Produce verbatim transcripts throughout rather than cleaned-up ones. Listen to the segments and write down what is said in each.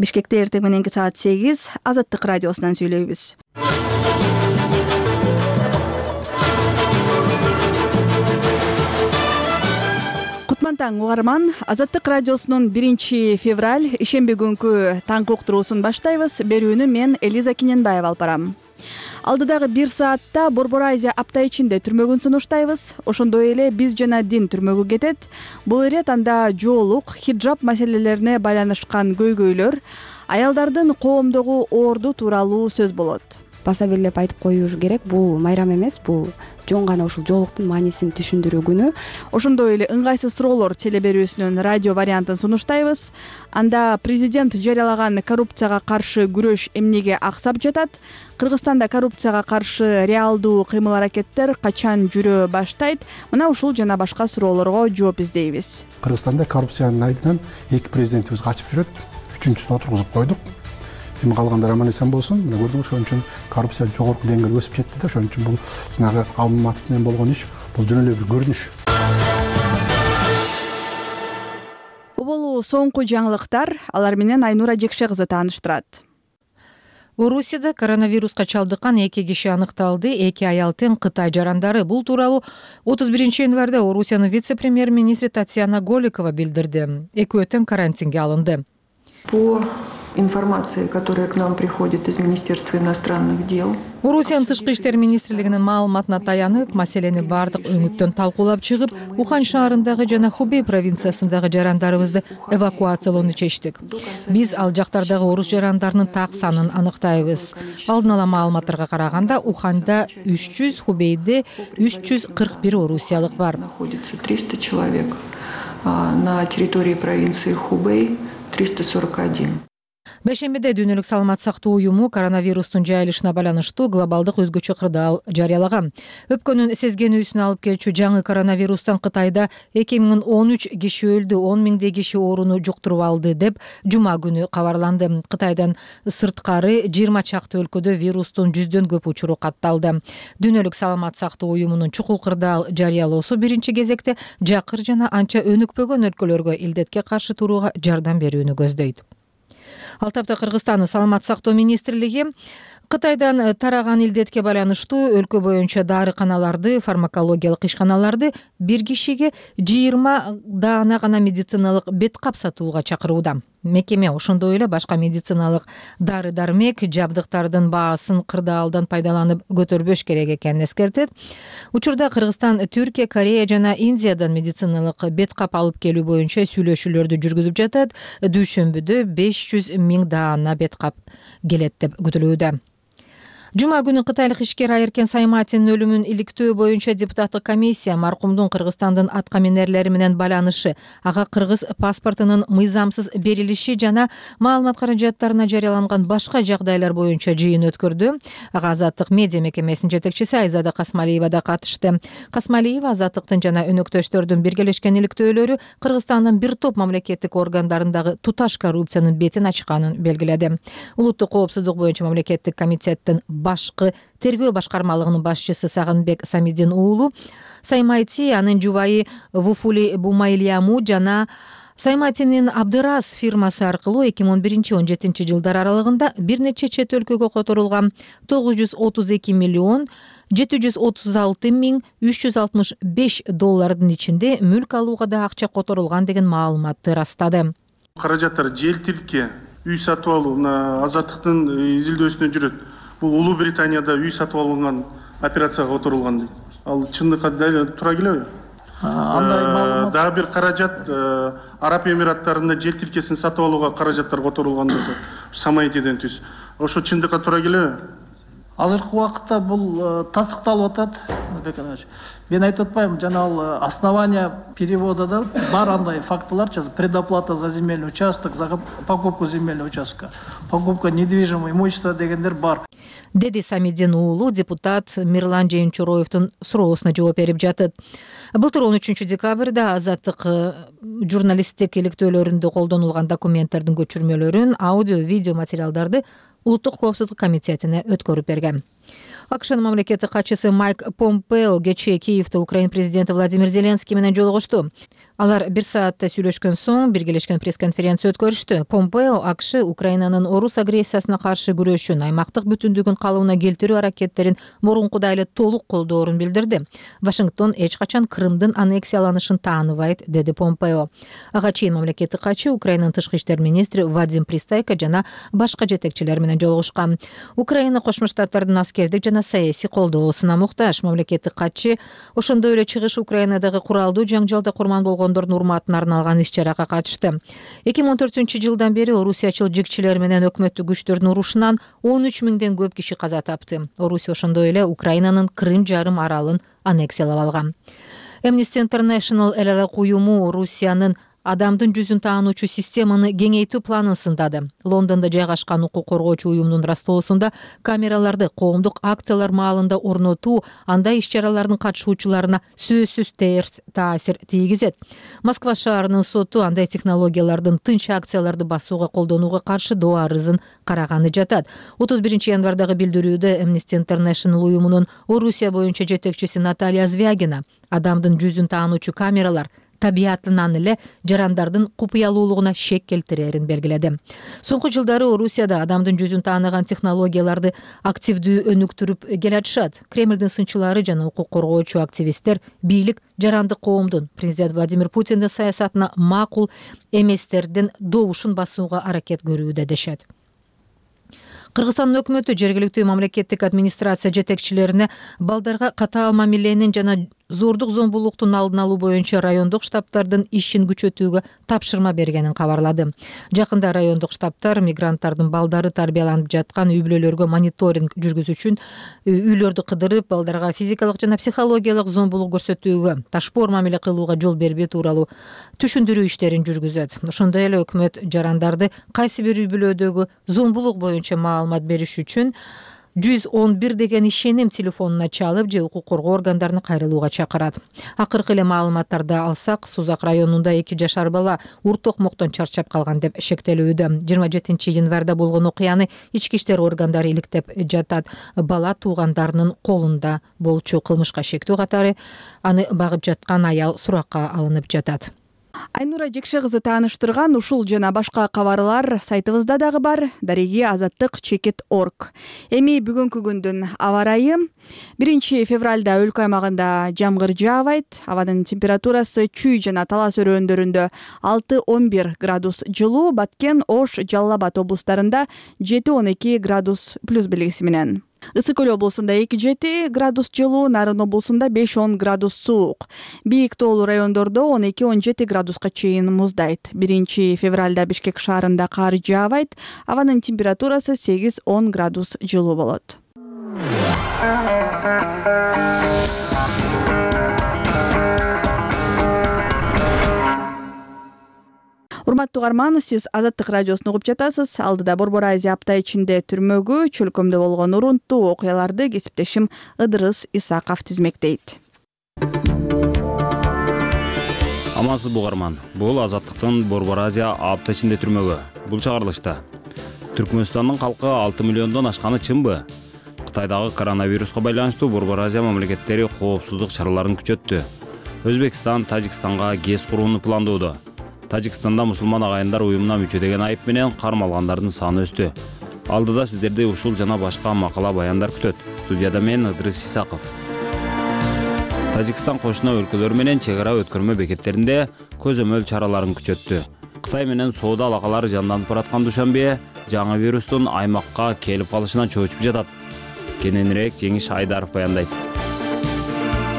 Бишкекте эртең мененки саат сегиз Азаттык радиосунан сүйлөйбүз. Кутман таң угарман. Азаттык радиосунун биринчи февраль ишемби күнкү таңкы уктуруусун баштайбыз. Берүүнү мен Элиза Киненбаева алып барам. Алдыдагы бир саатта Борбор Азия апта ичинде түрмөгүн сунуштайбыз. Ошондой эле биз жана дин түрмөгү кетет. Бул ирет анда жоолук, хиджаб маселелерине байланышкан көйгөйлөр, аялдардын коомдогу орду тууралуу сөз болот. Баса белгилеп айтып коюш керек, бул майрам эмес, бул жон гана ушул жоолуктун маанисин түшүндүрүү күнү. Ошондой эле ыңгайсыз суроолор телеберүүсүнүн радио вариантын сунуштайбыз. Анда президент жарыялаган коррупцияга каршы күрөш эмнеге аксап жатат? Кыргызстанда коррупцияга каршы реалдуу кыймыл-аракеттер качан жүрө баштайт? Мына ушул жана башка суроолорго жооп издейбиз. Кыргызстанда коррупциянын айынан эки президентибиз качып жүрөт. Үчүнчүсүн отургузуп койдук. Эми калгандар аман эсен болсун. Мына көрдүңүз, ошон үчүн коррупция жогорку деңгээлге өсүп жетти да. Ошон үчүн бул жанагы Алматов менен болгон иш, бул жөн эле бир көрүнүш. Бул болуу соңку жаңылыктар. Алар менен Айнура Жекше кызы тааныштырат. Орусияда коронавируска чалдыккан эки киши аныкталды. Эки аял тең Кытай жарандары. Бул тууралуу отуз биринчи январда Орусиянын вице-премьер-министри Татьяна Голикова билдирди. Экөө тең карантинге алынды. По информации, которая к нам приходит из Министерства иностранных дел. Орусиянын тышкы иштер министрлигинин маалыматына таянып, маселени бардык өңүттөн талкуулап чыгып, Ухан шаарындагы жана Хубей провинциясындагы жарандарыбызды эвакуациялоону чечтик. Биз ал жактардагы орус жарандарынын так санын аныктайбыз. Алдын ала маалыматтарга караганда, Уханда үч жүз, Хубейде үч жүз кырк бир орусиялык бар. Находится триста человек, на территории провинции Хубей триста сорок один. Бешембиде Дүйнөлүк саламат сактоо уюму коронавирустун жайылышына байланыштуу глобалдык өзгөчө кырдаал жарыялаган. Өпкөнүн сезгенүүсүнө алып келчү жаңы коронавирустан Кытайда эки миң он үч киши өлдү, он миңдей киши ооруну жуктуруп алды деп жума күнү кабарланды. Кытайдан сырткары жыйырма чакты өлкөдө вирустун жүздөн көп учуру катталды. Дүйнөлүк саламат сактоо уюмунун чукул кырдаал жарыялоосу биринчи кезекте жакыр жана анча өнүкпөгөн өлкөлөргө илдетке каршы турууга жардам берүүнү көздөйт. Ал тапта Кыргызстандын саламат сактоо министрлиги Кытайдан тараган илдетке байланыштуу өлкө боюнча дарыканаларды, фармакологиялык ишканаларды бир кишиге жыйырма даана гана медициналык бет кап сатууга чакырууда. Мекеме ошондой эле башка медициналык дары-дармек жабдыктардын баасын кырдаалдан пайдаланып көтөрбөш керек экенин эскертет. Учурда Кыргызстан Түркия, Корея жана Индиядан медициналык бет кап алып келүү боюнча сүйлөшүүлөрдү жүргүзүп жатат. Дүйшөмбүдө беш жүз миң даана бет кап келет деп күтүлүүдө. Жума күнү кытайлык ишкер Айыркен Сайматинин өлүмүн иликтөө боюнча депутаттык комиссия маркумдун Кыргызстандын аткаминерлери менен байланышы, ага кыргыз паспортунун мыйзамсыз берилиши жана маалымат каражаттарына жарыяланган башка жагдайлар боюнча жыйын өткөрдү. Ага Азаттык медиа мекемесинин жетекчиси Айзада Касмалиева да катышты. Касмалиева Азаттыктын жана өнөктөштөрдүн биргелешкен иликтөөлөрү Кыргызстандын бир топ мамлекеттик органдарындагы туташ коррупциянын бетин ачканын белгиледи. Улуттук коопсуздук боюнча мамлекеттик комитеттин башкы тергөө башкармалыгынын башчысы Сагынбек Самидин уулу Саймайти, анын жубайы Вуфули Бумайлияму жана Сайматинин Абдырас фирмасы аркылуу эки миң он биринчи он жетинчи жылдар аралыгында бир нече чет өлкөгө которулган тогуз жүз отуз эки миллион жети жүз отуз алты миң үч жүз алтымыш беш доллардын ичинде мүлк алууга да акча которулган деген маалыматты ырастады. Каражаттар желтиликке үй сатып алуу мына Азаттыктын изилдөөсүнө жүрөт. Бул Улуу Британияда үй сатып алынган операцияга которулган дейт. Ал чындыкка туура келеби? Андай маалымат. Дагы бир каражат Араб Эмираттарында жер тилкесин сатып алууга каражаттар которулган дейт. Самайтиден түз. Ошо чындыкка туура келеби? Азыркы убакытта бул тастыкталып атат. Мен айтып атпайм, жана ал основания перевода да бар андай фактылар, предоплата за земельный участок, за покупку земельного участка, покупка недвижимого имущества дегендер бар. Деди Самидин уулу депутат Мирлан Жээнчуроевдун суроосуна жооп берип жатат. Былтыр он үчүнчү декабрда Азаттык журналисттик иликтөөлөрүндө колдонулган документтердин көчүрмөлөрүн, аудио, видео материалдарды Улуттук коопсуздук комитетине өткөрүп берген. АКШнын мамлекеттик катчысы Майк Помпео кечээ Киевде Украина президенти Владимир Зеленский менен жолугушту. Алар бир саатта сүйлөшкөн соң биргелешкен пресс-конференция өткөрүштү. Помпео АКШ Украинанын орус агрессиясына каршы күрөшүн, аймактык бүтүндүгүн калыбына келтирүү аракеттерин мурункудай эле толук колдоорун билдирди. Вашингтон эч качан Крымдын аннексияланышын тааныбайт, деди Помпео. Ага чейин мамлекеттик катчы Украинанын тышкы иштер министри Вадим Пристайко жана башка жетекчилер менен жолугушкан. Украина Кошмо Штаттардын аскердик жана саясий колдоосуна муктаж. Мамлекеттик катчы ошондой эле чыгыш Украинадагы куралдуу жаңжалда курман болгон урматына арналган иш-чарага катышты. эки миң он төртүнчү жылдан бери орусиячыл жигчилер менен өкмөттүк күчтөрдүн урушунан он үч миңден көп киши каза тапты. Орусия ошондой эле Украинанын Крым жарым аралын аннексиялап алган. Amnesty International эл ар уюму Орусиянын адамдын жүзүн таануучу системаны кеңейтүү планын сындады. Лондондо жайгашкан укук коргоочу уюмдун растоосунда камераларды коомдук акциялар маалында орнотуу андай иш-чаралардын катышуучуларына сөзсүз терс таасир тийгизет. Москва шаарынын соту андай технологиялардын тынч акцияларды басууга колдонууга каршы доо арызын караганы жатат. отуз биринчи январдагы билдирүүдө Amnesty International уюмунун Орусия боюнча жетекчиси Наталья Звягина адамдын жүзүн таануучу камералар табиятынан эле жарандардын купуялуулугуна шек келтирерин белгиледи. Соңку жылдары Орусияда адамдын жүзүн тааныган технологияларды активдүү өнүктүрүп келатышат. Кремлдин сынчылары жана укук коргоочу активисттер бийлик жарандык коомдун президент Владимир Путиндин саясатына макул эместердин добушун басууга аракет көрүүдө дешет. Кыргызстандын өкмөтү жергиликтүү мамлекеттик администрация жетекчилерине балдарга катаал мамиленин жана зордук зомбулуктун алдын алуу боюнча райондук штабтардын ишин күчөтүүгө тапшырма бергенин кабарлады. Жакында райондук штабтар мигранттардын балдары тарбияланып жаткан үй-бүлөлөргө мониторинг жүргүзүү үчүн үйлөрдү кыдырып, балдарга физикалык жана психологиялык зомбулук көрсөтүүгө, ташпоор мамиле кылууга жол бербөө тууралуу түшүндүрүү иштерин жүргүзөт. Ошондой эле өкмөт жарандарды кайсы бир үй-бүлөдөгү зомбулук боюнча маалымат бериш үчүн жүз он бир деген ишеним телефонуна чалып же укук коргоо органдарына кайрылууга чакырат. Акыркы эле маалыматтарды алсак, Сузак районунда эки жашар бала урт токмоктон чарчап калган деп шектелүүдө. жыйырма жетинчи январда болгон окуяны ички иштер органдары иликтеп жатат. Бала туугандарынын колунда болчу. Кылмышка шектүү катары аны багып жаткан аял суракка алынып жатат. Айнура Жекше кызы тааныштырган ушул жана башка кабарлар сайтыбызда дагы бар. Дареги азаттык чекит точка орг. Эми бүгүнкү күндүн аба ырайы. биринчи февралда өлкө аймагында жамгыр жаабайт. Абанын температурасы Чүй жана Талас өрөөндөрүндө алты он бир градус жылуу, Баткен, Ош, Жалал Абад облустарында жети он эки градус плюс белгиси менен. Ысык Көл облусунда эки жети градус жылуу, Нарын облусунда беш он градус суук. Бийик тоолуу райондордо он эки он жети градуска чейин муздайт. биринчи февралда Бишкек шаарында кар жаабайт. Абанын температурасы сегиз он градус жылуу болот. Урматтуу угарман, сиз Азаттык радиосун угуп жатасыз. Алдыда Борбор Азия апта ичинде түрмөгү, чөлкөмдө болгон урунттуу окуяларды кесиптешим Ыдырыс Исаков тизмектейт. Амансыз угарман. Бул Азаттыктын Борбор Азия апта ичинде түрмөгү. Бул чыгарылышта Түркмөнстандын калкы алты миллиондон ашканы чынбы? Кытайдагы коронавируска байланыштуу Борбор Азия мамлекеттери коопсуздук чараларын күчөттү. Өзбекстан Тажикстанга ГЭС курууну пландоодо. Тажикстанда мусулман агайындар уюмуна мүчө деген айып менен кармалгандардын саны өстү. Алдыда сиздерди ушул жана башка макала баяндар күтөт. Студияда мен Ыдырыс Исаков. Тажикстан кошуна өлкөлөр менен чек ара өткөрмө бекеттеринде көзөмөл чараларын күчөттү. Кытай менен соода алакалары жанданып бараткан Душанбе жаңы вирустун аймакка келип калышынан чочуп жатат. Кененирээк Жеңиш Айдаров баяндайт.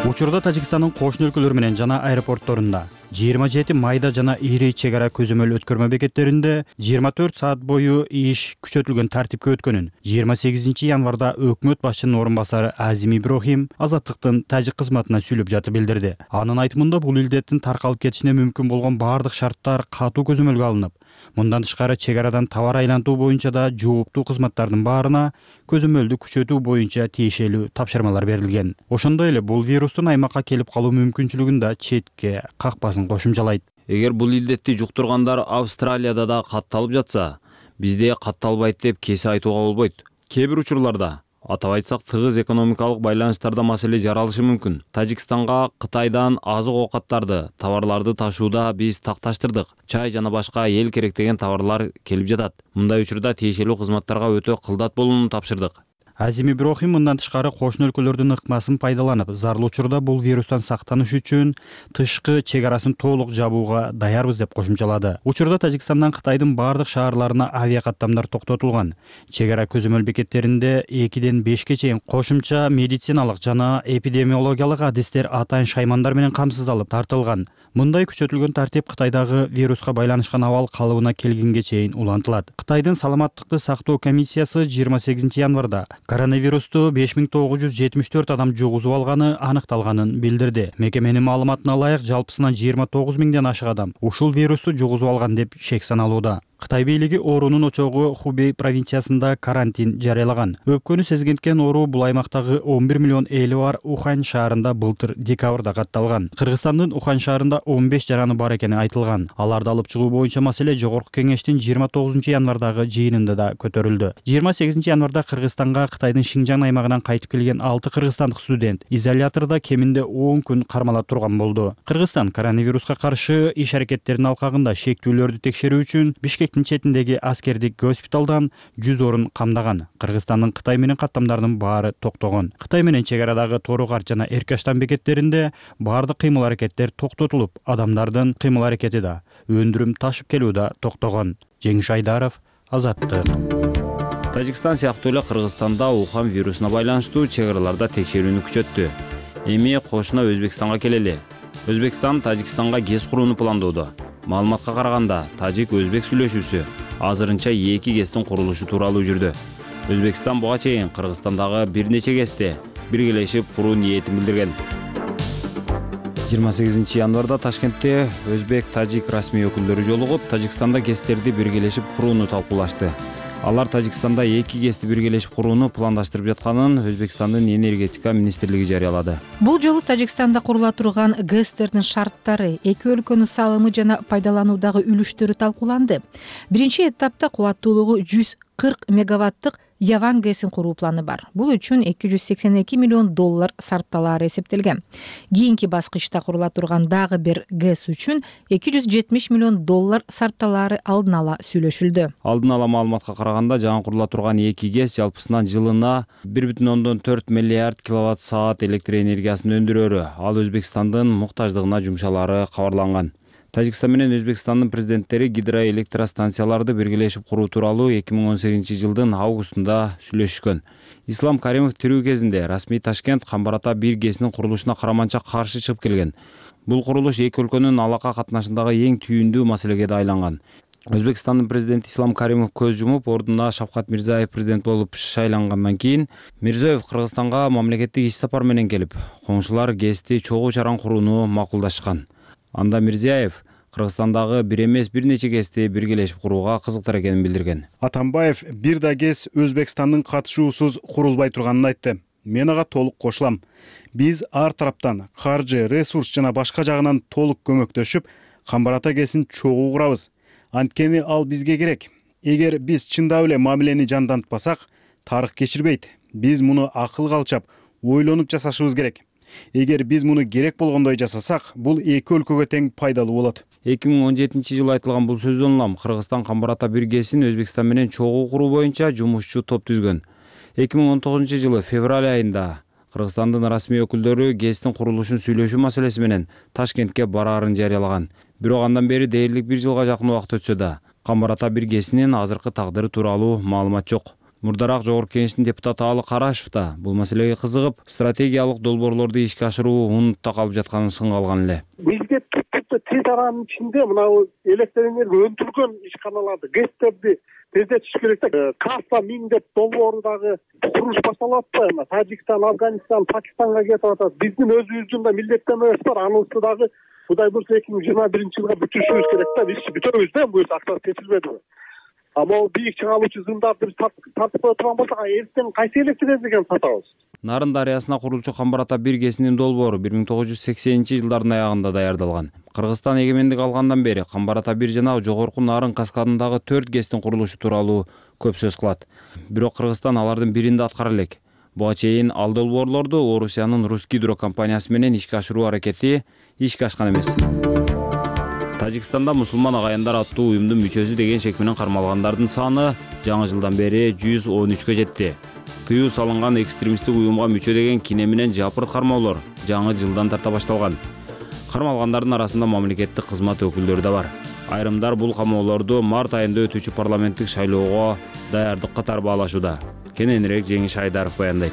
Учурда Тажикстандын кошуна өлкөлөр менен жана аэропортторунда жыйырма жети майда жана ири чек ара көзөмөл өткөрмө бекеттеринде жыйырма төрт саат бою иш күчөтүлгөн тартипке өткөнүн жыйырма сегизинчи январда өкмөт башчынын орун басары Азим Иброхим Азаттыктын тажик кызматына сүйлөп жатып билдирди. Анын айтымында бул илдеттин таркалып кетишине мүмкүн болгон баардык шарттар катуу көзөмөлгө алынып, мындан тышкары чек арадан товар айлантуу боюнча да жооптуу кызматтардын баарына көзөмөлдү күчөтүү боюнча тиешелүү тапшырмалар берилген. Ошондой эле бул вирустун аймакка келип калуу мүмкүнчүлүгүн да четке какпасын кошумчалайт. Эгер бул илдетти жуктургандар Австралияда да катталып жатса, бизде катталбайт деп кесе айтууга болбойт. Кээ бир учурларда Атап айтсак, тыгыз экономикалык байланыштарда маселе жаралышы мүмкүн. Тажикстанга Кытайдан азык оокаттарды, товарларды ташууда биз такташтырдык. Чай жана башка эл керек деген товарлар келип жатат. Мындай учурда тиешелүү кызматтарга өтө кылдат болууну тапшырдык. Азим Иброхим мындан тышкары кошуна өлкөлөрдүн ыкмасын пайдаланып, зарыл учурда бул вирустан сактаныш үчүн тышкы чек арасын толук жабууга даярбыз деп кошумчалады. Учурда Тажикстандан Кытайдын бардык шаарларына авиа каттамдар токтотулган. Чек ара көзөмөл бекеттеринде экиден бешке чейин кошумча медициналык жана эпидемиологиялык адистер атайын шаймандар менен камсыздалып тартылган. Мындай күчөтүлгөн тартип Кытайдагы вируска байланышкан абал калыбына келгенге чейин улантылат. Кытайдын саламаттыкты сактоо комиссиясы жыйырма сегизинчи январда коронавирусту беш миң тогуз жүз жетимиш төрт адам жугузуп алганы аныкталганын билдирди. Мекеменин маалыматына ылайык, жалпысынан жыйырма тогуз миңден ашык адам ушул вирусту жугузуп алган деп шек саналууда. Кытай бийлиги оорунун очогу Хубей провинциясында карантин жарыялаган. Өпкөнү сезгенткен оору бул аймактагы он бир миллион эли бар Ухань шаарында былтыр декабрда катталган. Кыргызстандын Ухань шаарында он беш жараны бар экени айтылган. Аларды алып чыгуу боюнча маселе Жогорку кеңештин жыйырма тогузунчу январдагы жыйынында да көтөрүлдү. жыйырма сегизинчи январда Кыргызстанга Кытайдын Шинжаң аймагынан кайтып келген алты кыргызстандык студент изолятордо кеминде он күн кармалып турган болду. Кыргызстан коронавируска каршы иш аракеттеринин алкагында шектүүлөрдү текшерүү үчүн Бишкек четиндеги аскердик госпиталдан жүз орун камдаган. Кыргызстандын Кытай менен каттамдарынын баары токтогон. Кытай менен чек арадагы Торугар жана Эркаштан бекеттеринде баардык кыймыл аракеттер токтотулуп, адамдардын кыймыл аракети да, өндүрүм ташып келүү да токтогон. Жеңиш Айдаров, Азаттык. Тажикстан сыяктуу эле Кыргызстанда Ухань вирусуна байланыштуу чек араларда текшерүүнү күчөттү. Эми кошуна Өзбекстанга келели. Өзбекстан Тажикстанга ГЭС курууну пландоодо. Маалыматка караганда, тажик-өзбек сүйлөшүүсү азырынча эки ГЭСтин курулушу тууралуу жүрдү. Өзбекстан буга чейин Кыргызстандагы бир нече ГЭСти биргелешип куруу ниетин билдирген. жыйырма сегизинчи январда Ташкентте өзбек-тажик расмий өкүлдөрү жолугуп, Тажикстанда ГЭСтерди биргелешип курууну талкуулашты. Алар Тажикстанда эки ГЭСти биргелешип курууну пландаштырып жатканын Өзбекстандын энергетика министрлиги жарыялады. Бул жолу Тажикстанда курула турган ГЭСтердин шарттары, эки өлкөнүн салымы жана пайдалануудагы үлүштөрү талкууланды. Биринчи этапта кубаттуулугу жүз кырк мегаваттык Яван ГЭСин куруу планы бар. Бул үчүн эки жүз сексен эки миллион доллар сарпталаары эсептелген. Кийинки баскычта курула турган дагы бир ГЭС үчүн эки жүз жетимиш миллион доллар сарпталаары алдын ала сүйлөшүлдү. Алдын ала маалыматка караганда, жаңы курула турган эки ГЭС жалпысынан жылына бир бүтүн ондон төрт миллиард киловатт саат электр энергиясын өндүрөрү. Ал Өзбекстандын муктаждыгына жумшалары кабарланган. Тажикстан менен Өзбекстандын президенттери гидроэлектростанцияларды биргелешип куруу тууралуу эки миң он сегизинчи жылдын августунда сүйлөшүшкөн. Ислам Каримов тирүү кезинде расмий Ташкент Камбар ата бир ГЭСинин курулушуна караманча каршы чыгып келген. Бул курулуш эки өлкөнүн алака катнашындагы эң түйүндүү маселеге да айланган. Өзбекстандын президенти Ислам Каримов көз жумуп, ордуна Шавкат Мирзиёев президент болуп шайлангандан кийин Мирзиёев Кыргызстанга мамлекеттик иш сапар менен келип, коңшулар ГЭСти чогуу чаран курууну макулдашкан. Анда Мирзиёев Кыргызстандагы бир эмес бир нече ГЭСти биргелешип курууга кызыктар экенин билдирген. Атамбаев бир да ГЭС Өзбекстандын катышуусуз курулбай турганын айтты. Мен ага толук кошулам. Биз ар тараптан каржы, ресурс жана башка жагынан толук көмөктөшүп, Камбар ата ГЭСин чогуу курабыз. Анткени ал бизге керек. Эгер биз чындап эле мамилени жандантпасак, тарых кечирбейт. Биз муну акылга алчап, ойлонуп жасашыбыз керек. Эгер биз муну керек болгондой жасасак, бул эки өлкөгө тең пайдалуу болот. эки миң он жетинчи жылы айтылган бул сөздөн улам Кыргызстан Камбар ата бир ГЭСин Өзбекстан менен чогуу куруу боюнча жумушчу топ түзгөн. эки миң он тогузунчу жылы февраль айында Кыргызстандын расмий өкүлдөрү ГЭСтин курулушун сүйлөшүү маселеси менен Ташкентке бараарын жарыялаган. Бирок андан бери дээрлик бир жылга жакын убакыт өтсө да, Камбар ата бир ГЭСинин азыркы тагдыры тууралуу маалымат жок. Мурдараак Жогорку Кеңештин депутаты Алы Карашев да бул маселеге кызыгып, стратегиялык долбоорлорду ишке ашыруу унутта калып жатканын сынга алган эле. Бизге типти тез аранын ичинде мына электр энергия өндүргөн ишканаларды, ГЭСтерди тездетиш керек да. Каса миң деп долбоору дагы куруш башталып атпайбы? Тажикстан, Афганистан, Пакистанга кетип атат. Биздин өзүбүздүн да милдеттенмебиз бар. Анысы дагы Кудай буюрса эки миң жыйырма биринчи жылга бүтүрүшүбүз керек да. Биз бүтөбүз да, буюрса акча чечилбедиби? Ама бийик чыгаалуучу зымдарды биз тартып кое турган болсок, эртең кайсы электр энергияны сатабыз? Нарын дарыясына курулчу Камбар ата бир ГЭСинин долбоору бир миң тогуз жүз сексенинчи жылдардын аягында даярдалган. Кыргызстан эгемендик алгандан бери Камбар ата бир жана Жогорку Нарын каскадындагы төрт ГЭСтин курулушу тууралуу көп сөз кылат. Бирок Кыргызстан алардын биринде аткара элек. Буга чейин ал долбоорлорду Орусиянын Русгидро компаниясы менен ишке ашыруу аракети ишке ашкан эмес. Тажикстанда мусулман агайындар аттуу уюмдун мүчөсү деген шек менен кармалгандардын саны жаңы жылдан бери жүз он үчкө жетти. Тыюу салынган экстремисттик уюмга мүчө деген кине менен жапырт кармоолор жаңы жылдан тарта башталган. Кармалгандардын арасында мамлекеттик кызмат өкүлдөрү да бар. Айрымдар бул камоолорду март айында өтүүчү парламенттик шайлоого даярдык катары баалашууда. Кененирээк Жеңиш Айдаров баяндайт.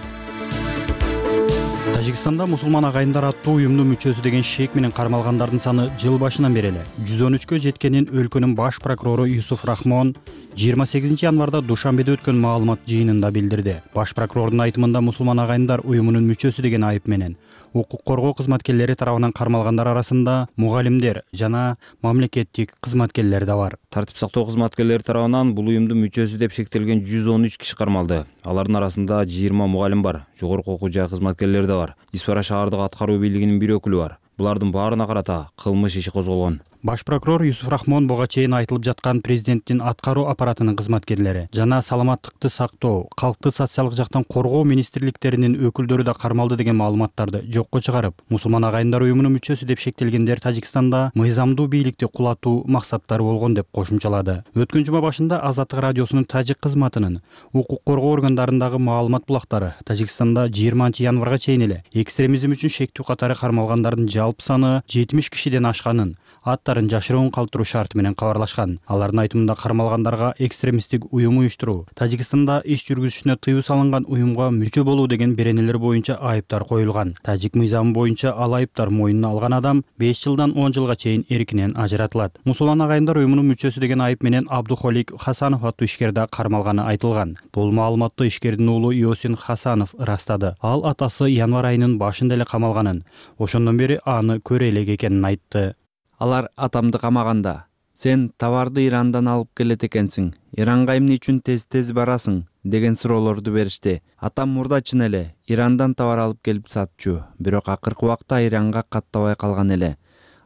Тажикстанда мусулман агайындар аттуу уюмдун мүчөсү деген шек менен кармалгандардын саны жыл башынан бери эле жүз он үчкө жеткенин өлкөнүн баш прокурору Юсуф Рахмон жыйырма сегизинчи январда Душанбеде өткөн маалымат жыйынында билдирди. Баш прокурордун айтымында мусулман агайындар уюмунун мүчөсү деген айып менен укук коргоо кызматкерлери тарабынан кармалгандар арасында мугалимдер жана мамлекеттик кызматкерлер да бар. Тартип сактоо кызматкерлери тарабынан бул уюмдун мүчөсү деп шектелген жүз он үч киши кармалды. Алардын арасында жыйырма мугалим бар, жогорку окуу жай кызматкерлери да бар. Испара шаардык аткаруу бийлигинин бир өкүлү бар. Булардын баарына карата кылмыш иши козголгон. Баш прокурор Юсуф Рахмон буга чейин айтылып жаткан президенттин аткаруу аппаратынын кызматкерлери жана саламаттыкты сактоо, калкты социалдык жактан коргоо министрликтеринин өкүлдөрү да кармалды деген маалыматтарды жокко чыгарып, мусулман агайындар уюмунун мүчөсү деп шектелгендер Тажикстанда мыйзамдуу бийликти кулатуу максаттары болгон деп кошумчалады. Өткөн жума башында Азаттык радиосунун тажик кызматынын укук коргоо органдарындагы маалымат булактары Тажикстанда жыйырманчы январга чейин эле экстремизм үчүн шектүү катары кармалгандардын жалпы саны жетимиш кишиден ашканын, аттарын жашыруун калтыруу шарты менен кабарлашкан. Алардын айтымында кармалгандарга экстремисттик уюм уюштуруу, Тажикстанда иш жүргүзүшүнө тыюу салынган уюмга мүчө болуу деген беренелер боюнча айыптар коюлган. Тажик мыйзамы боюнча ал айыптар мойнуна алган адам беш жылдан он жылга чейин эркинен ажыратылат. Мусулман агайындар уюмунун мүчөсү деген айып менен Абдухолик Хасанов аттуу ишкер да кармалганы айтылган. Бул маалыматты ишкердин уулу Иосин Хасанов ырастады. Ал атасы январь айынын башында эле камалганын, ошондон бери аны көрө элек экенин айтты. Алар атамды камаганда, сен товарды Ирандан алып келет экенсиң, Иранга эмне үчүн тез-тез барасың деген суроолорду беришти. Атам мурда чын эле Ирандан товар алып келип сатчу, бирок акыркы убакта Иранга каттабай калган эле.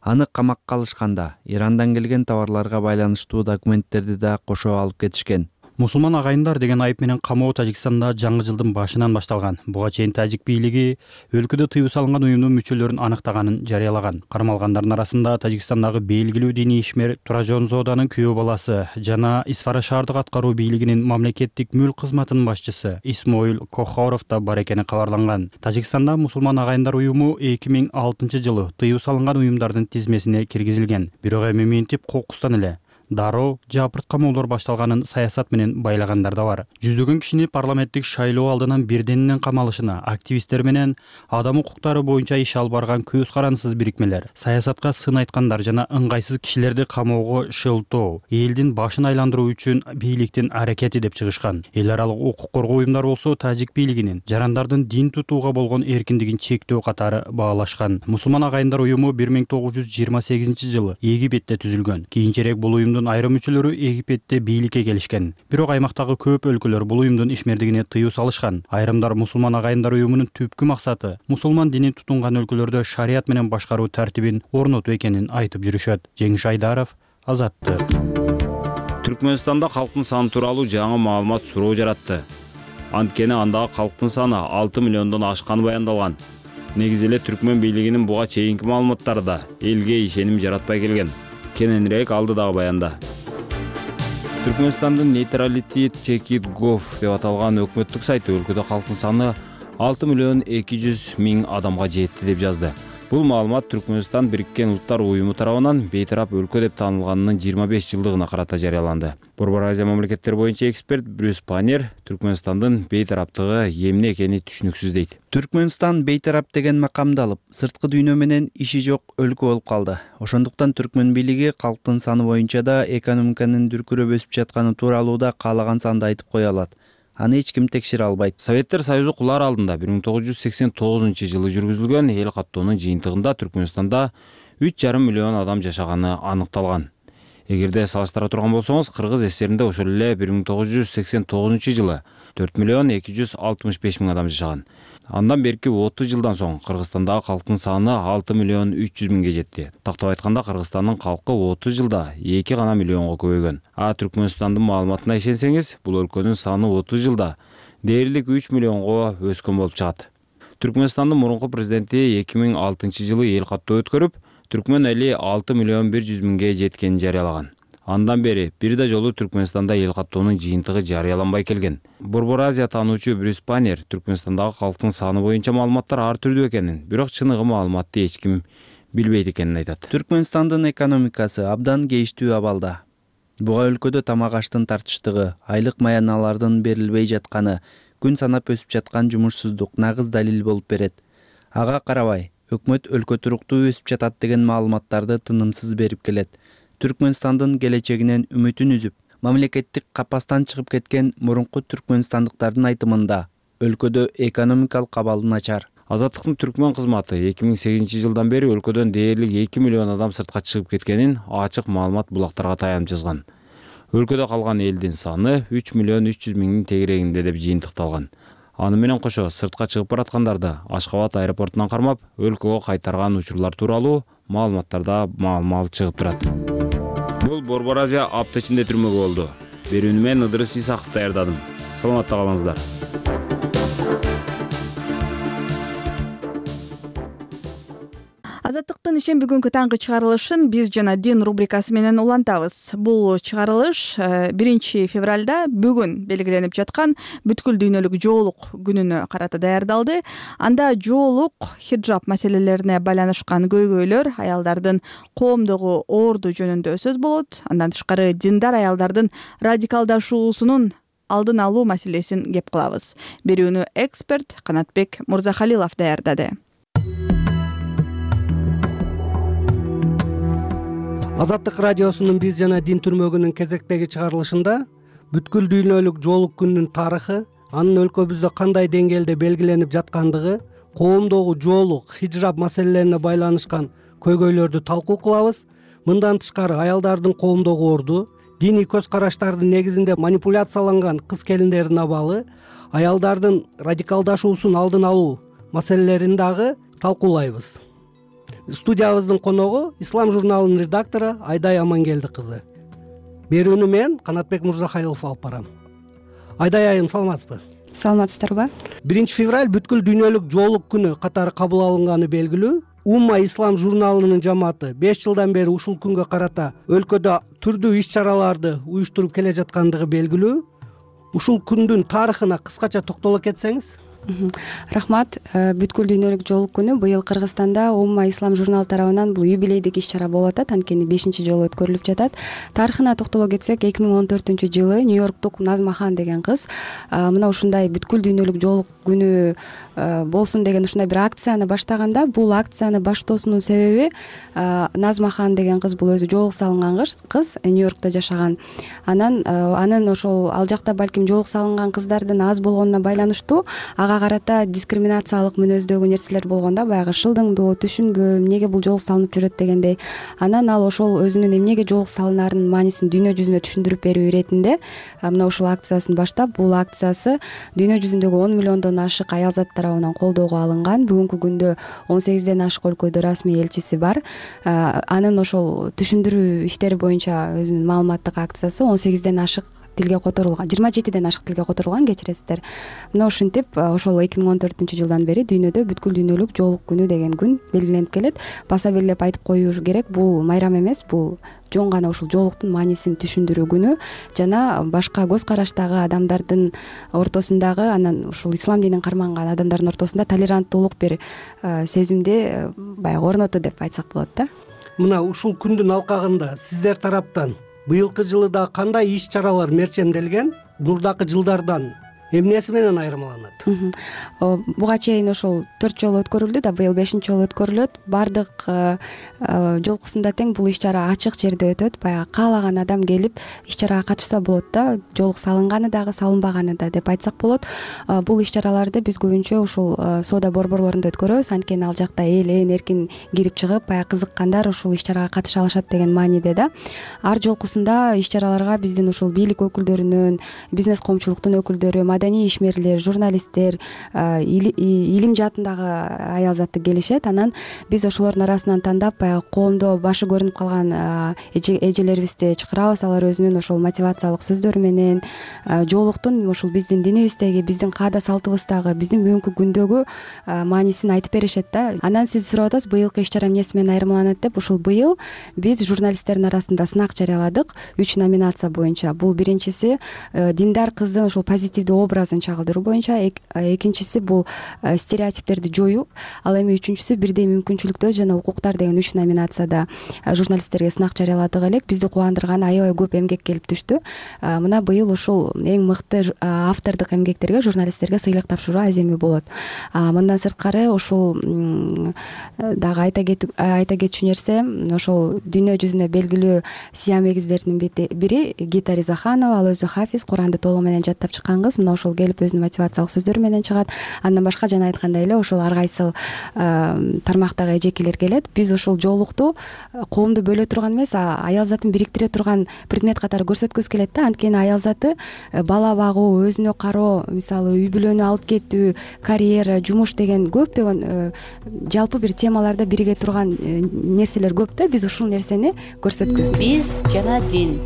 Аны камакка алышканда Ирандан келген товарларга байланыштуу документтерди да кошо алып кетишкен. Мусулман агайындар деген айып менен камоо Тажикстанда жаңы жылдын башынан башталган. Буга чейин тажик бийлиги өлкөдө тыюу салынган уюмдун мүчөлөрүн аныктаганын жарыялаган. Кармалгандардын арасында Тажикстандагы белгилүү диний ишмер Туражонзоданын күйөө баласы жана Исфара шаардык аткаруу бийлигинин мамлекеттик мүлк кызматынын башчысы Исмоил Кохоров да бар экени кабарланган. Тажикстанда мусулман агайындар уюму эки миң алтынчы жылы тыюу салынган уюмдардын тизмесине киргизилген. Бирок эми минтип кокустан эле дароо жапырт камоолор башталганын саясат менен байлагандар да бар. Жүздөгөн кишини парламенттик шайлоо алдынан бирденинен камалышына активисттер менен адам укуктары боюнча иш алып барган көз карандысыз бирикмелер, саясатка сын айткандар жана ыңгайсыз кишилерди камоого шылтоо, элдин башын айландыруу үчүн бийликтин аракети деп чыгышкан. Эл аралык укук коргоо уюмдары болсо тажик бийлигинин жарандардын дин тутууга болгон эркиндигин чектөө катары баалашкан. Мусулман агайындар уюму бир миң тогуз жүз жыйырма сегизинчи жылы Египетте түзүлгөн. Кийинчерээк бул уюмдун айрым мүчөлөрү Египетте бийликке келишкен. Бирок аймактагы көп өлкөлөр бул уюмдун ишмердигине тыюу салышкан. Айрымдар мусулман агайындар уюмунун түпкү максаты мусулман динин тутунган өлкөлөрдө шарият менен башкаруу тартибин орнотуу экенин айтып жүрүшөт. Жеңиш Айдаров, Азаттык. Түркмөнстанда калктын саны тууралуу жаңы маалымат суроо жаратты. Анткени андагы калктын саны алты миллиондон ашканы баяндалган. Негизи эле түркмөн бийлигинин буга чейинки маалыматтарда элге ишеним жаратпай келген. Кененирээк алдыдагы баянда. Түркмөнстандын Neutrality Check It Gov деп аталган өкмөттүк сайты өлкөдө калктын саны алты миллион эки жүз миң адамга жетти деп жазды. Бул маалымат Түркмөнстан Бириккен Улуттар уюму тарабынан бейтарап өлкө деп таанылганынын жыйырма беш жылдыгына карата жарыяланды. Борбор Азия мамлекеттери боюнча эксперт Брюс Панер Түркмөнстандын бейтараптыгы эмне экени түшүнүксүз дейт. Түркмөнстан бейтарап деген макамды алып, сырткы дүйнө менен иши жок өлкө болуп калды. Ошондуктан түркмөн бийлиги калктын саны боюнча да экономиканын дүркүрөп өсүп жатканы тууралуу да каалаган санды айтып кое алат. Аны эч ким текшере албайт. Советтер Союзу кулар алдында бир миң тогуз жүз сексен тогузунчу жылы жүргүзүлгөн эл каттоонун жыйынтыгында Түркмөнстанда үч жарым миллион адам жашаганы аныкталган. Эгерде салыштыра турган болсоңуз, Кыргыз ССРинде ошол эле бир миң тогуз жүз сексен тогузунчу жылы төрт миллион эки жүз алтымыш беш миң адам жашаган. Андан берки отуз жылдан соң Кыргызстандагы калктын саны алты миллион үч жүз миңге жетти. Тактап айтканда, Кыргызстандын калкы отуз жылда эки гана миллионго көбөйгөн. А Түркмөнстандын маалыматына ишенсеңиз, бул өлкөнүн саны отуз жылда дээрлик үч миллионго өскөн болуп чыгат. Түркмөнстандын мурунку президенти эки миң алтынчы жылы эл каттоо өткөрүп, түркмөн эли алты миллион бир жүз миңге жеткенин жарыялаган. Андан бери бир да жолу Түркмөнстанда эл каттоонун жыйынтыгы жарыяланбай келген. Борбор Азия таануучу Брюс Баннер Түркмөнстандагы калктын саны боюнча маалыматтар ар түрдүү экенин, бирок чыныгы маалыматты эч ким билбейт экенин айтат. Түркмөнстандын экономикасы абдан кейиштүү абалда. Буга өлкөдө тамак аштын тартыштыгы, айлык маяналардын берилбей жатканы, күн санап өсүп жаткан жумушсуздук нагыз далил болуп берет. Ага карабай, өкмөт өлкө туруктуу өсүп жатат деген маалыматтарды тынымсыз берип келет. Түркмөнстандын келечегинен үмүтүн үзүп, мамлекеттик капастан чыгып кеткен мурунку түркмөнстандыктардын айтымында өлкөдө экономикалык абал начар. Азаттыктын түркмөн кызматы эки миң сегизинчи жылдан бери өлкөдөн дээрлик эки миллион адам сыртка чыгып кеткенин ачык маалымат булактарга таянып жазган. Өлкөдө калган элдин саны үч миллион үч жүз миңдин тегерегинде деп жыйынтыкталган. Аны менен кошо сыртка чыгып бараткандарды Ашкабад аэропортунан кармап, өлкөгө кайтарган учурлар тууралуу маалыматтарда маал-маал чыгып турат. Бул Борбор Азия апта ичинде түрмөгө болду. Берүүнү мен Ыдырыс Исаков даярдадым. Саламатта калыңыздар. Азаттыктын ишемби күнгү таңкы чыгарылышын биз жана дин рубрикасы менен улантабыз. Бул чыгарылыш биринчи февралда бүгүн белгиленип жаткан бүткүл дүйнөлүк жоолук күнүнө карата даярдалды. Анда жоолук, хиджаб маселелерине байланышкан көйгөйлөр, аялдардын коомдогу орду жөнүндө сөз болот. Андан тышкары диндар аялдардын радикалдашуусунун алдын алуу маселесин кеп кылабыз. Берүүнү эксперт Канатбек Мурзахалилов даярдады. Азаттык радиосунун биз жана дин түрмөгүнүн кезектеги чыгарылышында бүткүл дүйнөлүк жоолук күнүнүн тарыхы, анын өлкөбүздө кандай деңгээлде белгиленип жаткандыгы, коомдогу жоолук, хиджаб маселелерине байланышкан көйгөйлөрдү талкуу кылабыз. Мындан тышкары аялдардын коомдогу орду, диний көз караштардын негизинде манипуляцияланган кыз-келиндердин абалы, аялдардын радикалдашуусун алдын алуу маселелерин дагы талкуулайбыз. Студиябыздын коногу Ислам журналынын редактору Айдай Амангелди кызы. Берүүнү мен Канатбек Мурзахалилов алып барам. Айдай айым, саламатсызбы? Саламатсыздарбы? биринчи февраль бүткүл дүйнөлүк жоолук күнү катары кабыл алынганы белгилүү. Умма Ислам журналынын жамааты беш жылдан бери ушул күнгө карата өлкөдө түрдүү иш-чараларды уюштуруп келе жаткандыгы белгилүү. Ушул күндүн тарыхына кыскача токтоло кетсеңиз. Рахмат. Бүткүл дүйнөлүк жоолук күнү быйыл Кыргызстанда Умма Ислам журналы тарабынан бул юбилейдик иш-чара болуп атат, анткени бешинчи жолу өткөрүлүп жатат. Тарыхына токтоло кетсек, эки миң он төртүнчү жылы Нью-Йорктук Назма Хан деген кыз мына ушундай бүткүл дүйнөлүк жоолук күнү болсун деген ушундай бир акцияны баштаганда, бул акцияны баштоосунун себеби Назма Хан деген кыз бул өзү жоолук салынган кыз, Нью-Йоркто жашаган. Анан анын ошол ал жакта балким жоолук салынган кыздардын аз болгонуна байланыштуу ага карата дискриминациялык мүнөздөгү нерселер болгондо, баягы шылдыңдоо, түшүнбөө, эмнеге бул жоолук салынып жүрөт дегендей. Анан ал ошол өзүнүн эмнеге жоолук салынарын маанисин дүйнө жүзүнө түшүндүрүп берүү иретинде мына ушул акциясын баштап, бул акциясы дүйнө жүзүндөгү он миллиондон ашык аялзат тарабынан колдоого алынган. Бүгүнкү күндө он сегизден ашык өлкөдө расмий элчиси бар. Анын ошол түшүндүрүү иштери боюнча өзүнүн маалыматтык акциясы он сегизден ашык тилге которулган, жыйырма жетиден ашык тилге которулган, кечиресиздер. Мына ушинтип ошол эки миң он төртүнчү жылдан бери дүйнөдө бүткүл дүйнөлүк жоолук күнү деген күн белгиленип келет. Баса белгилеп айтып коюш керек, бул майрам эмес, бул жон гана ушул жоолуктун маанисин түшүндүрүү күнү жана башка көз караштагы адамдардын ортосундагы, анан ушул ислам динин карманган адамдардын ортосунда толеранттуулук бир сезимди баягы орноту деп айтсак болот да. Мына ушул күндүн алкагында сиздер тараптан быйылкы жылы да кандай иш-чаралар мерчемделген, мурдакы жылдардан эмнеси менен айырмаланат? Буга чейин ошол төрт жолу өткөрүлдү да, быйыл бешинчи жолу өткөрүлөт. Бардык жолкусунда тең бул иш-чара ачык жерде өтөт. Баягы каалаган адам келип иш-чарага катышса болот да, жоолук салынганы дагы, салынбаганы да деп айтсак болот. Бул иш-чараларды биз көбүнчө ушул соода борборлорунда өткөрөбүз, анткени ал жакта эл эркин кирип чыгып, баягы кызыккандар ушул иш-чарага катыша алышат деген мааниде да. Ар жолкусунда иш-чараларга биздин ушул бийлик өкүлдөрүнүн, бизнес коомчулуктун өкүлдөрү, маданий ишмерлер, журналисттер, илим жаатындагы аял заты келишет. Анан биз ошолордун арасынан тандап баягы коомдо башы көрүнүп калган эжелерибизди чакырабыз. Алар өзүнүн ошол мотивациялык сөздөрү менен жоолуктун ушул биздин динибиздеги, биздин каада салтыбыздагы, биздин бүгүнкү күндөгү маанисин айтып беришет да. Анан сиз сурап атасыз, быйылкы иш чара эмнеси менен айырмаланат деп. Ушул быйыл биз журналисттердин арасында сынак жарыяладык үч номинация боюнча. Бул биринчиси диндар кыздын ошол позитивдүү образын чагылдыруу боюнча, экинчиси бул стереотиптерди жоюу, ал эми үчүнчүсү бирдей мүмкүнчүлүктөр жана укуктар деген үч номинацияда журналисттерге сынак жарыяладык элек. Бизди кубандырган аябай көп эмгек келип түштү. Мына быйыл ушул эң мыкты автордук эмгектерге, журналисттерге сыйлык тапшыруу аземи болот. Мындан сырткары ушул дагы айта кетчү нерсе, ошол дүйнө жүзүнө белгилүү сиям эгиздердин бири Гита Ризаханова, ал өзү хафиз, Куранды толугу менен жаттап чыккан кыз. Мына ошол келип өзүнүн мотивациялык сөздөрү менен чыгат. Андан башка жана айткандай эле ошол ар кайсы тармактагы эжекелер келет. Биз ушул жоолукту коомду бөлө турган эмес, аял затын бириктире турган предмет катары көрсөткүбүз келет да. Анткени аял заты бала багуу, өзүнө кароо, мисалы үй бүлөнү алып кетүү, карьера, жумуш деген көптөгөн жалпы бир темаларда бириге турган нерселер көп да. Биз ушул нерсени көрсөткүбүз. Биз жана дин.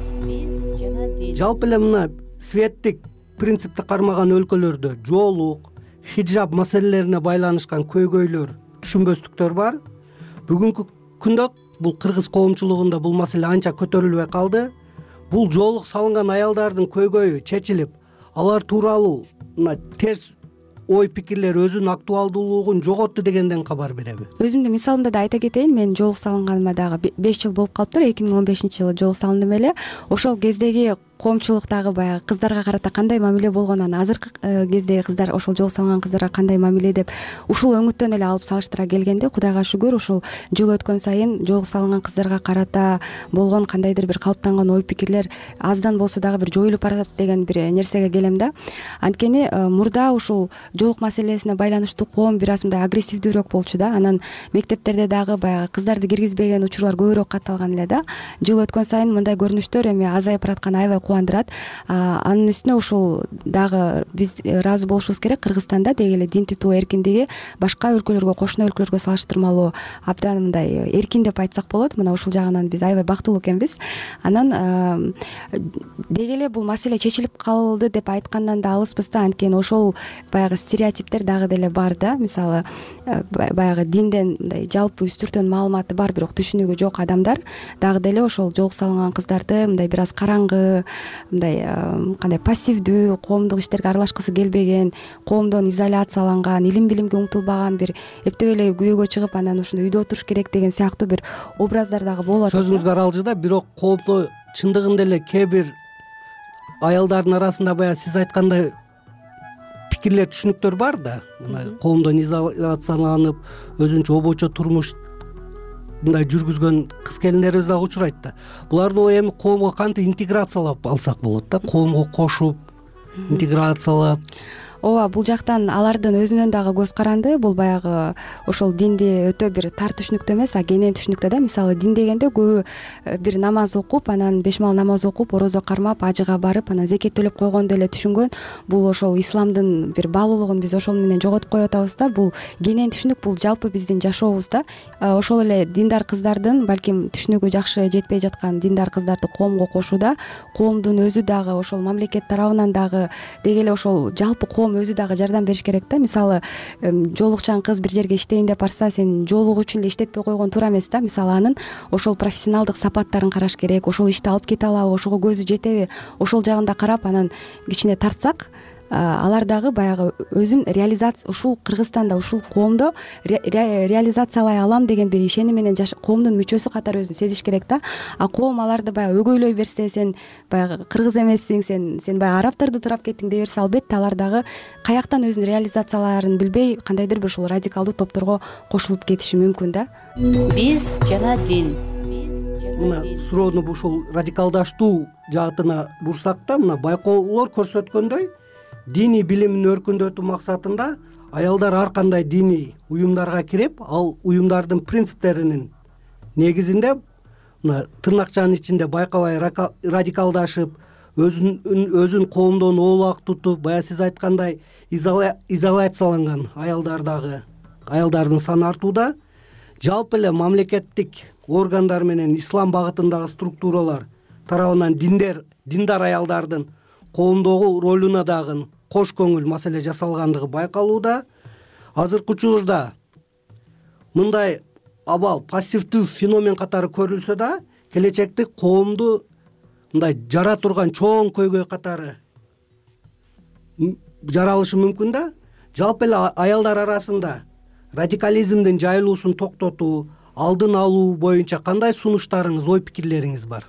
Жалпы эле мына светтик принципти кармаган өлкөлөрдө жоолук, хиджаб маселелерине байланышкан көйгөйлөр, түшүнбөстүктөр бар. Бүгүнкү күндө бул кыргыз коомчулугунда бул маселе анча көтөрүлбөй калды. Бул жоолук салынган аялдардын көйгөйү чечилип, алар тууралуу мына терс ой пикирлер өзүнүн актуалдуулугун жоготту дегенден кабар береби? Өзүмдүн мисалымда да айта кетейин. Мен жоолук салынганыма дагы беш жыл болуп калыптыр. эки миң он бешинчи жылы жоолук салындым эле. Ошол кездеги коомчулуктагы баягы кыздарга карата кандай мамиле болгонун, азыркы кездеги кыздар ошол жоолук салынган кыздарга кандай мамиле деп ушул өңүттөн эле алып салыштыра келгенде, Кудайга шүгүр, ушул жыл өткөн сайын жоолук салынган кыздарга карата болгон кандайдыр бир калыптанган ой пикирлер аздан болсо дагы бир жоюлуп баратат деген бир нерсеге келем да. Анткени мурда ушул жоолук маселесине байланыштуу коом бир аз мындай агрессивдүүрөөк болчу да. Анан мектептерде дагы баягы кыздарды киргизбеген учурлар көбүрөөк катталган эле да. Жыл өткөн сайын мындай көрүнүштөр эми азайып баратканы аябай кубандырат. Анын үстүнө ушул дагы биз ыраазы болушубуз керек. Кыргызстанда деги эле дин тутуу эркиндиги башка өлкөлөргө, кошуна өлкөлөргө салыштырмалуу абдан мындай эркин деп айтсак болот. Мына ушул жагынан биз аябай бактылуу экенбиз. Анан деги эле бул маселе чечилип калды деп айткандан да алыспыз да. Анткени ошол баягы стереотиптер дагы деле бар да. Мисалы баягы динден мындай жалпы үстүртөн маалыматы бар, бирок түшүнүгү жок адамдар дагы деле ошол жоолук салынган кыздарды мындай бир аз караңгы, мындай кандай пассивдүү, коомдук иштерге аралашкысы келбеген, коомдон изоляцияланган, илим билимге умтулбаган, бир эптеп эле күбөгө чыгып анан ушундай үйдө отуруш керек деген сыяктуу бир образдар дагы болот. Сөзүңүзгө аралжы да. Бирок коомдо чындыгында эле кээ бир аялдардын арасында баягы сиз айткандай пикирлер, түшүнүктөр бар да. Мына коомдон изоляцияланып, өзүнчө обочо турмуш мындай жүргүзгөн кыз келиндерибиз дагы учурайт да. Буларды эми коомго кантип интеграциялап алсак болот да? Коомго кошуп, интеграциялап. Ооба, бул жактан алардын өзүнөн дагы көз каранды. Бул баягы ошол динди өтө бир тар түшүнүктө эмес, а кенен түшүнүктө да. Мисалы дин дегенде көбү бир намаз окуп, анан беш мал намаз окуп, орозо кармап, ажыга барып, анан зекет төлөп койгонду эле түшүнгөн. Бул ошол исламдын бир баалуулугун биз ошол менен жоготуп коюп атабыз да. Бул кенен түшүнүк, бул жалпы биздин жашообузда. Ошол эле диндар кыздардын балким түшүнүгү жакшы жетпей жаткан диндар кыздарды коомго кошууда, коомдун өзү дагы ошол мамлекет тарабынан дагы деги эле ошол жалпы коом өзү дагы жардам бериш керек да. Мисалы жоолукчан кыз бир жерге иштейин деп барса, сен жоолук үчүн эле иштетпей койгон туура эмес да. Мисалы анын ошол профессионалдык сапаттарын караш керек, ошол ишти алып кете алабы, ошого көзү жетеби, ошол жагында карап анан кичине тартсак, алар дагы баягы өзүн реализация, ушул Кыргызстанда, ушул коомдо реализациялай алам деген бир ишеним менен коомдун мүчөсү катары өзүн сезиш керек да. А коом аларды баягы өгөйлөй берсе, сен баягы кыргыз эмессиң, сен сен баягы арабтарды турап кеттиң дей берсе, албетте алар дагы каяктан өзүн реализациялаарын билбей, кандайдыр бир ушул радикалдуу топторго кошулуп кетиши мүмкүн да. Биз жана дин. Мына суроону ушул радикалдаштуу жаатына бурсак да, мына байкоолор көрсөткөндөй, диний билимин өркүндөтүү максатында аялдар ар кандай диний уюмдарга кирип, ал уюмдардын принциптеринин негизинде мына тырнакчанын ичинде байкабай радикалдашып, өзүн өзүн коомдон оолак тутуп, баягы сиз айткандай изоляцияланган аялдардагы аялдардын саны артууда. Жалпы эле мамлекеттик органдар менен ислам багытындагы структуралар тарабынан диндер диндар аялдардын коомдогу ролуна дагы кош көңүл маселе жасалгандыгы байкалууда. Азыркы учурда мындай абал пассивдүү феномен катары көрүлсө да, келечекте коомду мындай жара турган чоң көйгөй катары жаралышы мүмкүн да. Жалпы эле аялдар арасында радикализмдин жайылуусун токтотуу, алдын алуу боюнча кандай сунуштарыңыз, ой пикирлериңиз бар?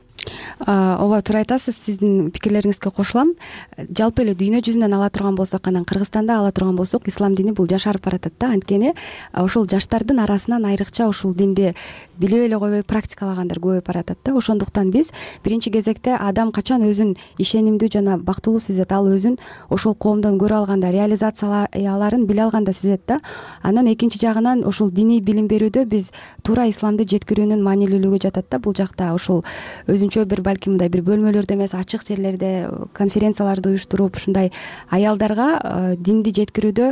Ооба, туура айтасыз. Сиздин пикирлериңизге кошулам. Жалпы эле дүйнө жүзүнөн ала турган болсок, анан Кыргызстанда ала турган болсок, ислам дини бул жашарып баратат да. Анткени ошол жаштардын арасынан айрыкча ушул динди билип эле койбой практикалагандар көбөйүп баратат да. Ошондуктан биз биринчи кезекте адам качан өзүн ишенимдүү жана бактылуу сезет, ал өзүн ошол коомдон көрө алганда, реализацияларын биле алганда сезет да. Анан экинчи жагынан ошол диний билим берүүдө биз туура исламды жеткирүүнүн маанилүүлүгү жатат да. Бул жакта ошол өзүнчө бир балким мындай бир бөлмөлөрдө эмес, ачык жерлерде конференцияларды уюштуруп, ушундай аялдарга динди жеткирүүдө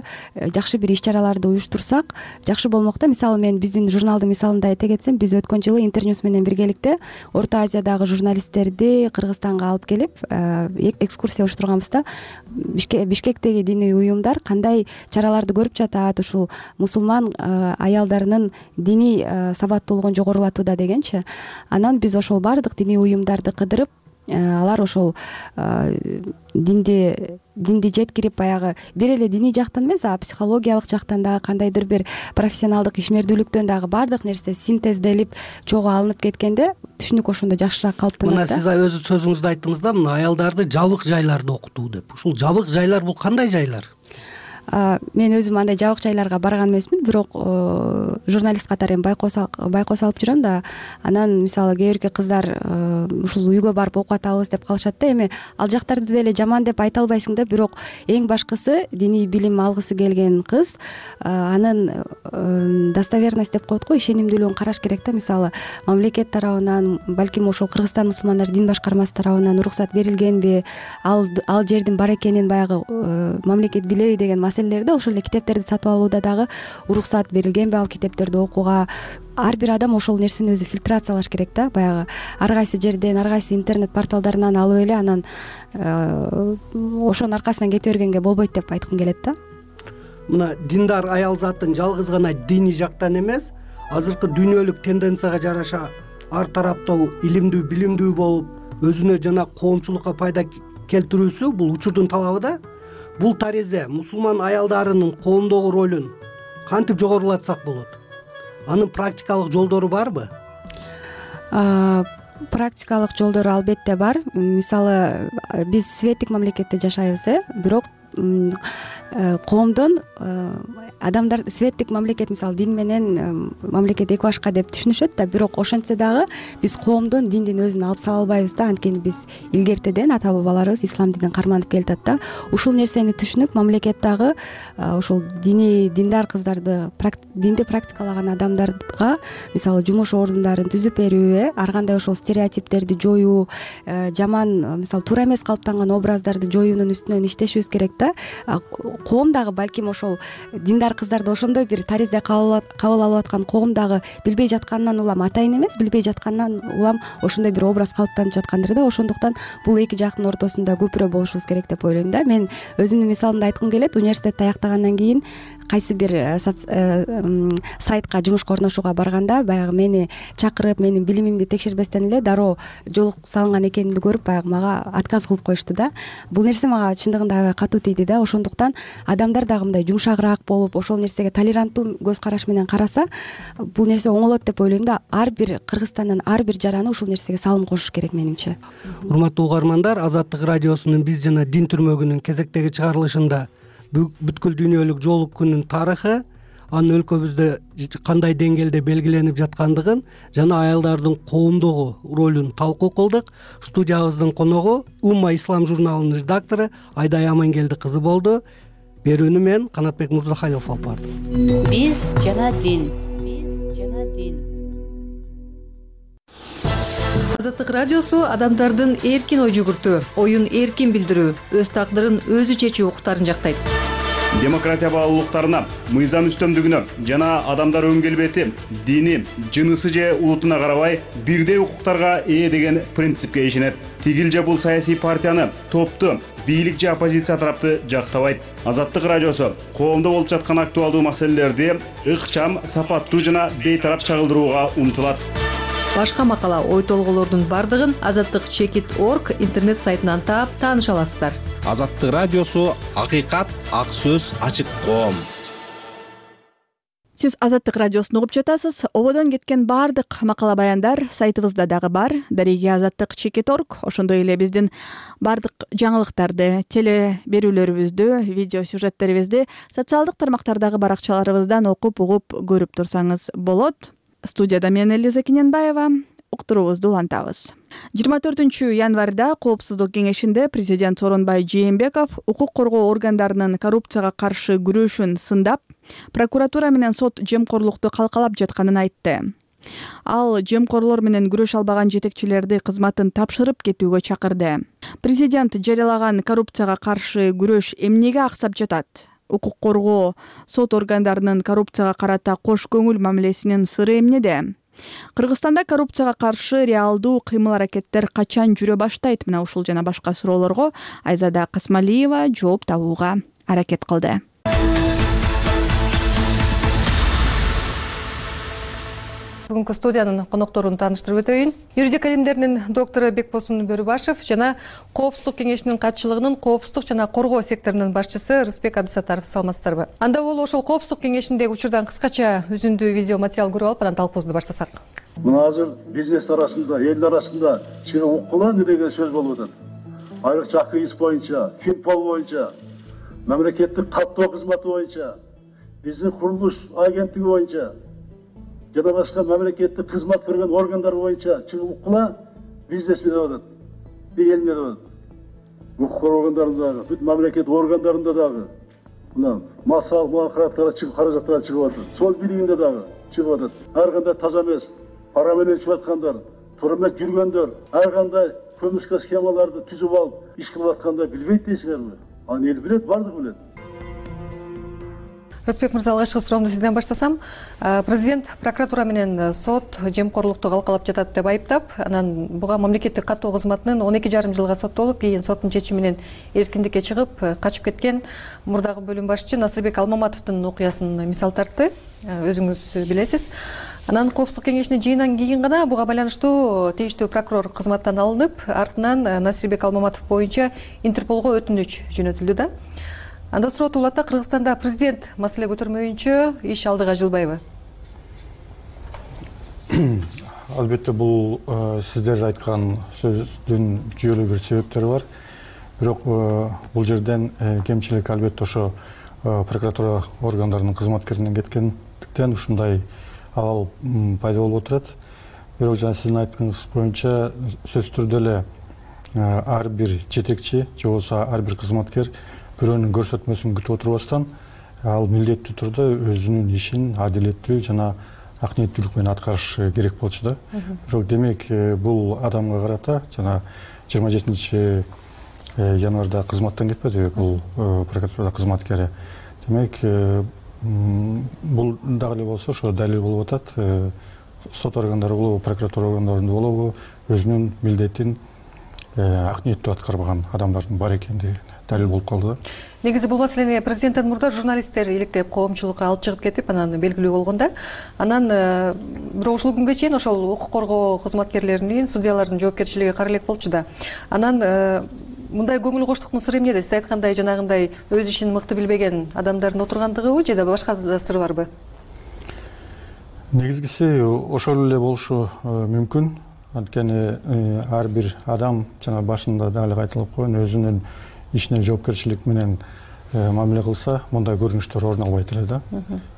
жакшы бир иш-чараларды уюштурсак жакшы болмок да. Мисалы мен биздин журналдын мисалында айта кетсем, биз өткөн жылы Интерньюс менен биргеликте Орто Азиядагы журналисттерди Кыргызстанга алып келип экскурсия уюштурганбыз да. Бишкектеги диний уюмдар кандай чараларды көрүп жатат, ушул мусулман аялдарынын диний сабаттуулугун жогорулатууда дегенчи. Анан биз ошол бардык диний уюмдарды кыдырып, алар ошол динди динди жеткирип, баягы бир эле диний жактан эмес, а психологиялык жактан дагы кандайдыр бир профессионалдык ишмердүүлүктөн дагы бардык нерсе синтезделип чогуу алынып кеткенде түшүнүк ошондо жакшыраак калыптанат да. Мына сиз өз сөзүңүздө айттыңыз да, мына аялдарды жабык жайларда окутуу деп. Ушул жабык жайлар бул кандай жайлар? Мен өзүм андай жабык жайларга барган эмесмин, бирок журналист катары эми байкоос байкоос алып жүрөм да. Анан мисалы кээ бирки кыздар ушул үйгө барып окуп атабыз деп калышат да. Эми ал жактарды деле жаман деп айта албайсың да, бирок эң башкысы диний билим алгысы келген кыз анын достоверность деп коет го, ишенимдүүлүгүн караш керек да. Мисалы мамлекет тарабынан, балким ошол Кыргызстан мусулмандар дин башкармасы тарабынан уруксат берилгенби, ал ал жердин бар экенин баягы мамлекет билеби деген маселелерде, ошол эле китептерди сатып алууда дагы уруксат берилгенби ал китептерди окууга. Ар бир адам ошол нерсени өзү фильтрациялаш керек да. Баягы ар кайсы жерден, ар кайсы интернет порталдарынан алып эле анан ошонун аркасынан кете бергенге болбойт деп айткым келет да. Мына диндар аял затын жалгыз гана диний жактан эмес, азыркы дүйнөлүк тенденцияга жараша ар тараптуу илимдүү, билимдүү болуп, өзүнө жана коомчулукка пайда келтирүүсү бул учурдун талабы да. Бул таризде мусулман аялдарынын коомдогу ролун кантип жогорулатсак болот? Анын практикалык жолдору барбы? Практикалык жолдору албетте бар. Мисалы биз светтик мамлекетте жашайбыз, э, бирок коомдон адамдар светтик мамлекет, мисалы дин менен мамлекет эки башка деп түшүнүшөт да, бирок ошентсе дагы биз коомдон диндин өзүн алып сала албайбыз да. Анткени биз илгертеден ата бабаларыбыз ислам динин карманып келатат да. Ушул нерсени түшүнүп, мамлекет дагы ушул дини диндар кыздарды, динди практикалаган адамдарга мисалы жумуш орундарын түзүп берүү, ар кандай ошол стереотиптерди жоюу, жаман мисалы туура эмес калыптанган образдарды жоюунун үстүнөн иштешибиз керек да. Коом дагы балким ошол диндар кыздарды ошондой бир таризде кабыл алып аткан коом дагы билбей жатканынан улам атайын эмес, билбей жатканынан улам ошондой бир образ калыптанып жаткандыр да. Ошондуктан бул эки жактын ортосунда көпүрө болушубуз керек деп ойлойм да. Мен өзүмдүн мисалымды айткым келет. Университетти аяктагандан кийин кайсы бир сайтка жумушка орношууга барганда, баягы мени чакырып, менин билимимди текшербестен эле дароо жолук салынган экенимди көрүп, баягы мага отказ кылып коюшту да. Бул нерсе мага чындыгында аябай катуу тийди да. Ошондуктан адамдар дагы мындай жумшагыраак болуп, ошол нерсеге толеранттуу көз караш менен караса, бул нерсе оңолот деп ойлойм да. Ар бир Кыргызстандын ар бир жараны ушул нерсеге салым кошуш керек менимче. Урматтуу угармандар, Азаттык радиосунун биз жана дин түрмөгүнүн кезектеги чыгарылышында бүткүл дүйнөлүк жоолук күнүнүн тарыхы, анын өлкөбүздө кандай деңгээлде белгиленип жаткандыгын жана аялдардын коомдогу ролун талкуу кылдык. Студиябыздын коногу Умма ислам журналынын редактору Айдай Амангелди кызы болду. Берүүнү мен Канатбек Мурзахалилов алып бардым. Биз жана дин. Биз жана дин. Азаттык радиосу адамдардын эркин ой жүгүртүү, оюн эркин билдирүү, өз тагдырын өзү чечүү укуктарын жактайт. Демократия баалуулуктарына, мыйзам үстөмдүгүнө жана адамдар өң келбети, дини, жынысы же улутуна карабай бирдей укуктарга ээ деген принципке ишенет. Тигил же бул саясий партияны, топту, бийлик же оппозиция тарапты жактабайт. Азаттык радиосу коомдо болуп жаткан актуалдуу маселелерди ыкчам, сапаттуу жана бейтарап чагылдырууга умтулат. Башка макала, ой толгоолордун бардыгын азаттык чекит точка орг интернет сайтынан таап тааныша аласыздар. Азаттык радиосу акыйкат, ак сөз, ачык коом. Сиз Азаттык радиосун угуп жатасыз. Ободон кеткен баардык макала баяндар сайтыбызда дагы бар. Дареги азаттык чекит точка орг. Ошондой эле биздин баардык жаңылыктарды, теле берүүлөрүбүздү, видео сюжеттерибизди социалдык тармактардагы баракчаларыбыздан окуп, угуп, көрүп турсаңыз болот. Студияда мен Элиза Кененбаева. Уктуруубузду улантабыз. жыйырма төртүнчү январда Коопсуздук кеңешинде президент Сооронбай Жээнбеков укук коргоо органдарынын коррупцияга каршы күрөшүн сындап, прокуратура менен сот жемкорлукту калкалап жатканын айтты. Ал жемкорлор менен күрөшө албаган жетекчилерди кызматын тапшырып кетүүгө чакырды. Президент жарыялаган коррупцияга каршы күрөш эмнеге аксап жатат? Укук коргоо сот органдарынын коррупцияга карата кош көңүл мамилесинин сыры эмнеде? Кыргызстанда коррупцияга каршы реалдуу кыймыл-аракеттер качан жүрө баштайт? Мына ушул жана башка суроолорго Айзада Касмалиева жооп табууга аракет кылды. Бүгүнкү студиянын конокторун тааныштырып өтөйүн. Юридика илимдеринин доктору Бекбосун Бөрүбашев жана Коопсуздук кеңешинин катчылыгынын коопсуздук жана коргоо секторунун башчысы Рыспек Абдысаттаров. Саламатсыздарбы? Анда боло ошол Коопсуздук кеңешиндеги учурдан кыскача үзүндүү видео материал көрүп алып, анан талкуубузду баштасак. Мына азыр бизнес арасында, эл арасында чыгып укулан деген сөз болуп атат. Айрыкча АКИС боюнча, Финпол боюнча, мамлекеттик каттоо кызматы боюнча, биздин курулуш агенттиги боюнча жана башка мамлекеттик кызмат көргөн органдар боюнча чыгып укула бизнес менен атат. Эл менен атат. Укук органдарында дагы, бүт мамлекет органдарында дагы мына масал муакараттар чыгып каражаттар чыгып атат. Сол бийлигинде дагы чыгып атат. Ар кандай таза эмес, пара менен ичип аткандар, туура эмес жүргөндөр, ар кандай көмүшкө схемаларды түзүп алып иш кылып атканда билбейт дейсиңерби? Аны эл билет, бардыгы билет. Рыспек мырза, алгачкы суроомду сизден баштасам. Президент прокуратура менен сот жемкорлукту калкалап жатат деп айыптап, анан буга мамлекеттик каттоо кызматынын он эки жарым жылга соттолуп, кийин соттун чечими менен эркиндикке чыгып, качып кеткен мурдагы бөлүм башчы Насырбек Алмаматовдун окуясын мисал тартты. Өзүңүз билесиз. Анан Коопсуздук кеңешинин жыйынынан кийин гана буга байланыштуу тийиштүү прокурор кызматтан алынып, артынан Насырбек Алмаматов боюнча Интерполго өтүнүч жөнөтүлдү да. Анда суроо улатта, Кыргызстанда президент маселе көтөрмөйүнчө иш алдыга жылбайбы? Албетте бул сиздер айткан сөздүн жүйөлүү бир себептери бар. Бирок бул жерден кемчилик албетте ошо прокуратура органдарынын кызматкеринен кеткендиктен ушундай абал пайда болуп отурат. Бирок жана сиздин айтканыңыз боюнча сөзсүз түрдө эле ар бир жетекчи же болбосо ар бир кызматкер бирөөнүн көрсөтмөсүн күтүп отурбастан ал милдеттүү түрдө өзүнүн ишин адилеттүү жана ак ниеттүүлүк менен аткарыш керек болчу да. Бирок демек бул адамга карата жана жыйырма жетинчи январда кызматтан кетпеди бул прокуратура кызматкери. Демек бул дагы эле болсо ошо далил болуп атат. Сот органдары болобу, прокуратура органдарында болобу өзүнүн милдетин ак ниеттүү аткарбаган адамдардын бар экендиги далил болуп калды да. Негизи бул маселени президенттен мурда журналисттер иликтеп коомчулукка алып чыгып кетип, анан белгилүү болгондо, анан бирок ушул күнгө чейин ошол укук коргоо кызматкерлеринин, судьялардын жоопкерчилиги кара элек болчу да. Анан мындай көңүл коштуктун сыры эмнеде? Сиз айткандай жанагындай өз ишин мыкты билбеген адамдардын отургандыгыбы же да башка да сыры барбы? Негизгиси ошол эле болушу мүмкүн. Анткени ар бир адам жана башында дагы кайталап койгон өзүнүн ишине жоопкерчилик менен мамиле кылса, мындай көрүнүштөр орун албайт эле да.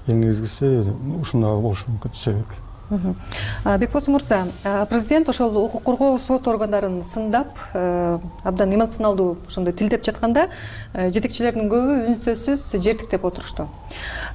Эң негизгиси ушундай болушу мүмкүн себеп. Бекбосун мырза, президент ошол укук коргоо сот органдарын сындап, абдан эмоционалдуу ошондой тилдеп жатканда, жетекчилердин көбү үнсөзсүз жертиктеп отурушту.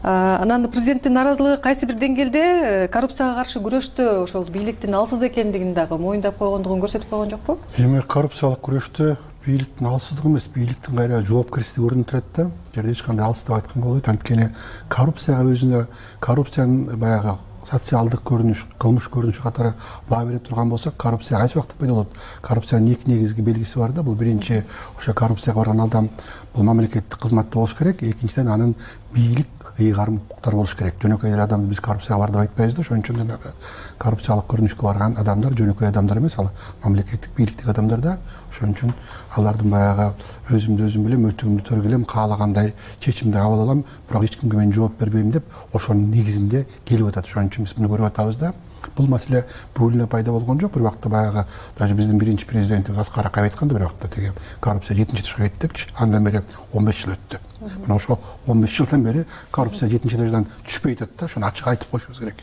Анан президенттин нааразылыгы кайсы бир деңгээлде коррупцияга каршы күрөштө ошол бийликтин алсыз экендигин дагы моюндап койгондугун көрсөтүп койгон жокпу? Эми коррупциялык күрөштө бийликтин алсыздыгы эмес, бийликтин кайра жоопкерчилиги көрүнүп турат да. Жерде эч кандай алыс деп айтканга болбойт. Анткени коррупцияга өзүнө коррупциянын баягы социалдык көрүнүш, кылмыш көрүнүшү катары баа бере турган болсок, коррупция кайсы убакта пайда болот? Коррупциянын эки негизги белгиси бар да. Бул биринчи, ошо коррупцияга барган адам бул мамлекеттик кызматта болуш керек. Экинчиден, анын бийлик ыйгарым укуктары болуш керек. Жөнөкөй эле адамды биз коррупцияга бар деп айтпайбыз да. Ошон үчүн жанагы коррупциялык көрүнүшкө барган адамдар жөнөкөй адамдар эмес, ал мамлекеттик бийликтеги адамдар да. Ошон үчүн алардын баягы өзүмдү өзүм билем, өтүгүмдү төргүлөм, каалагандай чечимди кабыл алам, бирок эч кимге мен жооп бербейм деп ошонун негизинде келип атат. Ошон үчүн биз муну көрүп атабыз да. Бул маселе бүгүн эле пайда болгон жок. Бир убакта баягы даже биздин биринчи президентибиз Аскар Акаев айтканда бир убакта теги коррупция жетинчи этажга кетти депчи. Андан бери он беш жыл өттү. Мына ошо он беш жылдан бери коррупция жетинчи этаждан түшпөй атат да. Ошону ачык айтып коюшубуз керек.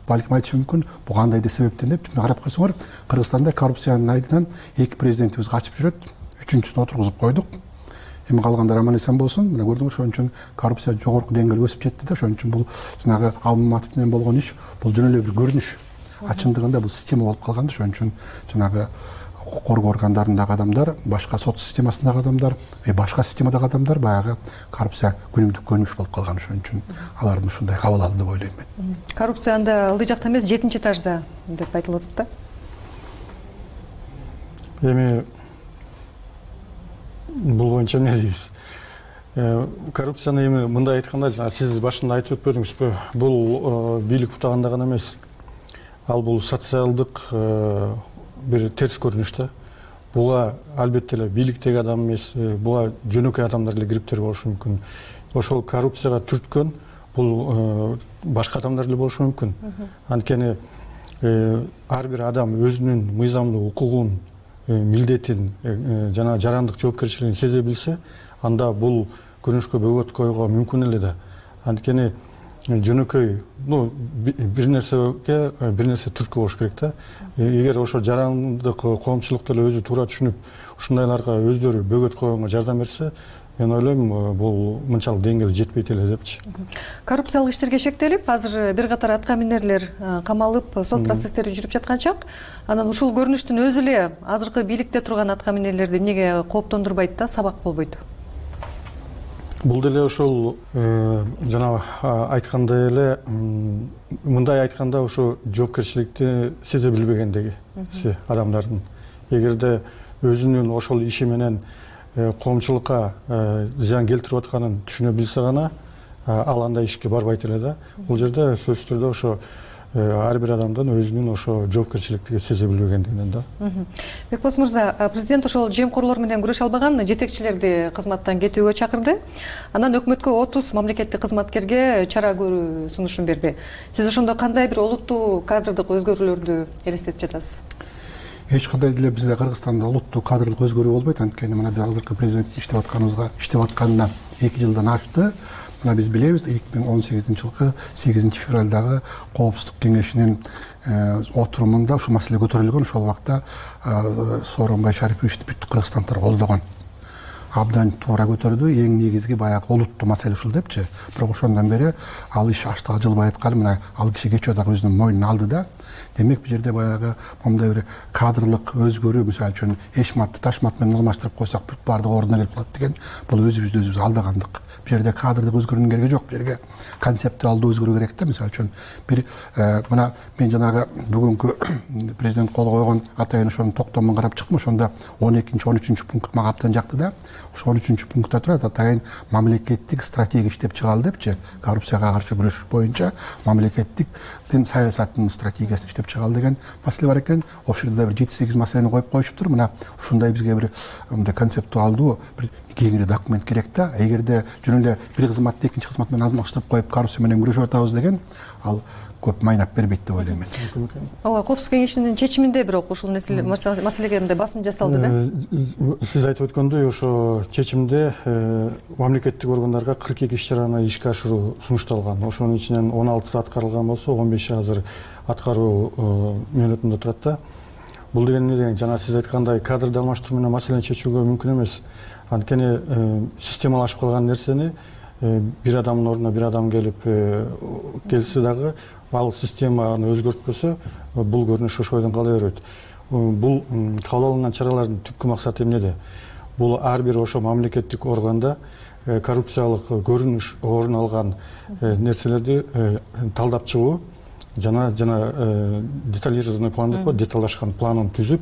Балким айтышы мүмкүн, бул кандай да себептен деп карап койсоңор, Кыргызстанда коррупциянын айынан эки президентибиз качып жүрөт. Үчүнчүсүн отургузуп койдук. Эми калгандар аман эсен болсун. Мына көрдүңүз, ошон үчүн коррупция жогорку деңгээлге өсүп жетти да. Ошон үчүн бул жанагы Алмаматов менен болгон иш бул жөн эле бир көрүнүш. Ачындыгында бул система болуп калган да. Ошон үчүн жанагы укук коргоо органдарындагы адамдар, башка сот системасындагы адамдар, башка системадагы адамдар баягы коррупция күнүмдүк көрүнүш болуп калган. Ошон үчүн алардын ушундай кабыл алды деп ойлойм мен. Коррупция анда ылдый жакта эмес, жетинчи этажда деп айтылып атат да. Эми бул боюнча эмне дейбиз? Коррупцияны эми мындай айтканда, сиз башында айтып өтпөдүңүзбү? Бул бийлик бутаганда гана эмес. Ал бул социалдык бир терс көрүнүш да. Буга албетте эле бийликтеги адам эмес, буга жөнөкөй адамдар эле кириптер болушу мүмкүн. Ошол коррупцияга түрткөн бул башка адамдар эле болушу мүмкүн. Анткени ар бир адам өзүнүн мыйзамдуу укугун, милдетин жана жарандык жоопкерчилигин сезе билсе, анда бул көрүнүшкө бөгөт коюуга мүмкүн эле да. Анткени жөнөкөй, ну, бир нерсеге бир нерсе түрткү болуш керек да. Эгер ошо жарандык коомчулук деле өзү туура түшүнүп, ушундайларга өздөрү бөгөт койгонго жардам берсе, мен ойлойм, бул мынчалык деңгээлге жетпейт эле депчи. Коррупциялык иштерге шектелип, азыр бир катар атка минерлер камалып, сот процесстери жүрүп жаткан чак. Анан ушул көрүнүштүн өзү эле азыркы бийликте турган атка минерлерди эмнеге кооптондурбайт да, сабак болбойт? Бул деле ошол жана айткандай эле, мындай айтканда ошо жоопкерчиликти сезе билбегендиги адамдардын. Эгерде өзүнүн ошол иши менен коомчулукка зыян келтирип атканын түшүнө билсе гана, ал андай ишке барбайт эле да. Бул жерде сөзсүз түрдө ошо ар бир адамдын өзүнүн ошо жоопкерчиликти сезе билбегендигинен да. Бекбос мырза, президент ошол жемкорлор менен күрөшө албаган жетекчилерди кызматтан кетүүгө чакырды. Анан өкмөткө отуз мамлекеттик кызматкерге чара көрүү сунушун берди. Сиз ошондо кандай бир олуттуу кадрдык өзгөрүүлөрдү элестетип жатасыз? Эч кандай деле бизде Кыргызстанда улуттуу кадрлык өзгөрүү болбойт. Анткени мына азыркы президент иштеп атканыбызга, иштеп атканына эки жылдан ашты. Мына биз билебиз, эки миң он сегизинчи жылкы сегизинчи февралдагы Коопсуздук кеңешинин отурумунда ушул маселе көтөрүлгөн. Ошол убакта Сооронбай Шариповичти бүт кыргызстандыктар колдогон. Абдан туура көтөрдү. Эң негизги баягы олуттуу маселе ушул депчи. Бирок ошондон бери ал иш аштыга жылбай атканы, мына ал киши кечөө дагы өзүнүн мойнуна алды да. Демек, бул жерде баягы момундай бир кадрлык өзгөрүү, мисалы үчүн эшматты ташмат менен алмаштырып койсок, бүт баардыгы ордуна келип калат деген, бул өзүбүздү өзүбүз алдагандык. Бул жерде кадрдык өзгөрүүнүн кереги жок. Бул жерге концептуалдуу өзгөрүү керек да. Мисалы үчүн бир мына мен жанагы бүгүнкү президент кол койгон атайын ошонун токтомун карап чыктым. Ошондо он экинчи он үчүнчү пункт мага абдан жакты да. Ошо он үчүнчү пунктта турат, атайын мамлекеттик стратегия иштеп чыгалы депчи. Коррупцияга каршы күрөш боюнча мамлекеттиктин саясатынын стратегиясын иштеп чыгалы деген маселе бар экен. Ошол жерде бир жети сегиз маселени коюп коюшуптур. Мына ушундай бизге бир мындай концептуалдуу бир кеңири документ керек да. Эгерде жөн эле бир кызматты экинчи кызмат менен алмаштырып коюп коррупция менен күрөшүп атабыз деген ал көп майнап бербейт деп ойлойм мен. ооба, коопсуздук кеңешинин чечиминде бирок ушул маселеге мындай басым жасалды да. Сиз айтып өткөндөй ошо чечимде мамлекеттик органдарга кырк эки иш чараны ишке ашыруу сунушталган. Ошонун ичинен он алтысы аткарылган болсо, он беши азыр аткаруу мөөнөтүндө турат да. Бул деген эмне деген, жана сиз айткандай кадрды алмаштыруу менен маселени чечүүгө мүмкүн эмес. Анткени системалашып калган нерсени бир адамдын ордуна бир адам келип келсе дагы ал системаны өзгөртпөсө, бул көрүнүш ошо бойдон кала берет. Бул кабыл алынган чаралардын түпкү максаты эмнеде? Бул ар бир ошо мамлекеттик органда коррупциялык көрүнүш орун алган нерселерди талдап чыгуу жана жана детализированный план деп коет, деталдашкан планын түзүп,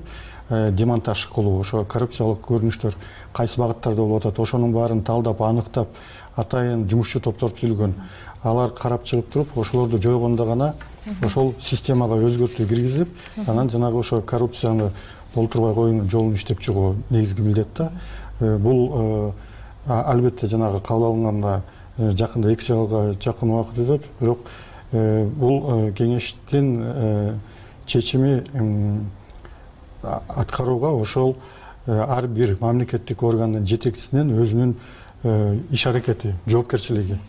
демонтаж кылуу. Ошо коррупциялык көрүнүштөр кайсы багыттарда болуп атат, ошонун баарын талдап, аныктап, атайын жумушчу топтор түзүлгөн. Алар карап чыгып туруп, ошолорду жойгондо гана ошол системага өзгөртүү киргизип, анан жанагы ошо коррупцияны болтурбай коюунун жолун иштеп чыгуу негизги милдет да. Бул албетте жанагы кабыл алынганда жакында эки жылга жакын убакыт өтөт, бирок бул кеңештин чечими аткарууга ошол ар бир мамлекеттик органдын жетекчисинин өзүнүн иш аракети, жоопкерчилиги.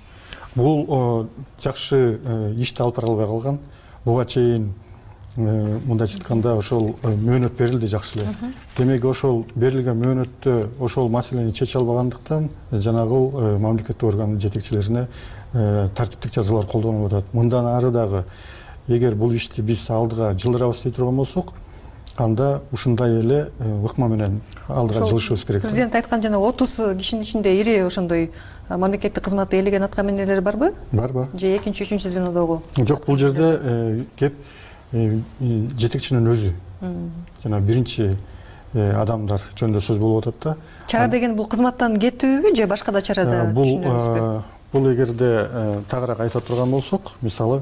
Бул жакшы ишти алып бара албай калган. Буга чейин мындайча айтканда ошол мөөнөт берилди жакшы эле. Демек ошол берилген мөөнөттө ошол маселени чече албагандыктан жанагы мамлекеттик органдын жетекчилерине тартиптик жазалар колдонулуп атат. Мындан ары дагы эгер бул ишти биз алдыга жылдырабыз дей турган болсок, анда ушундай эле ыкма менен алдыга жылышыбыз керек. Президент айткан жана отуз кишинин ичинде ири ошондой мамлекеттик кызматты ээлеген атка минерлер барбы? Бар, бар. Же экинчи, үчүнчү звенодогу? Жок, бул жерде кеп жетекчинин өзү. Жана биринчи адамдар жөнүндө сөз болуп атат да. Чара деген бул кызматтан кетүүбү же башка да чарада түшүнөбүзбү? Бул эгерде тагыраак айта турган болсок, мисалы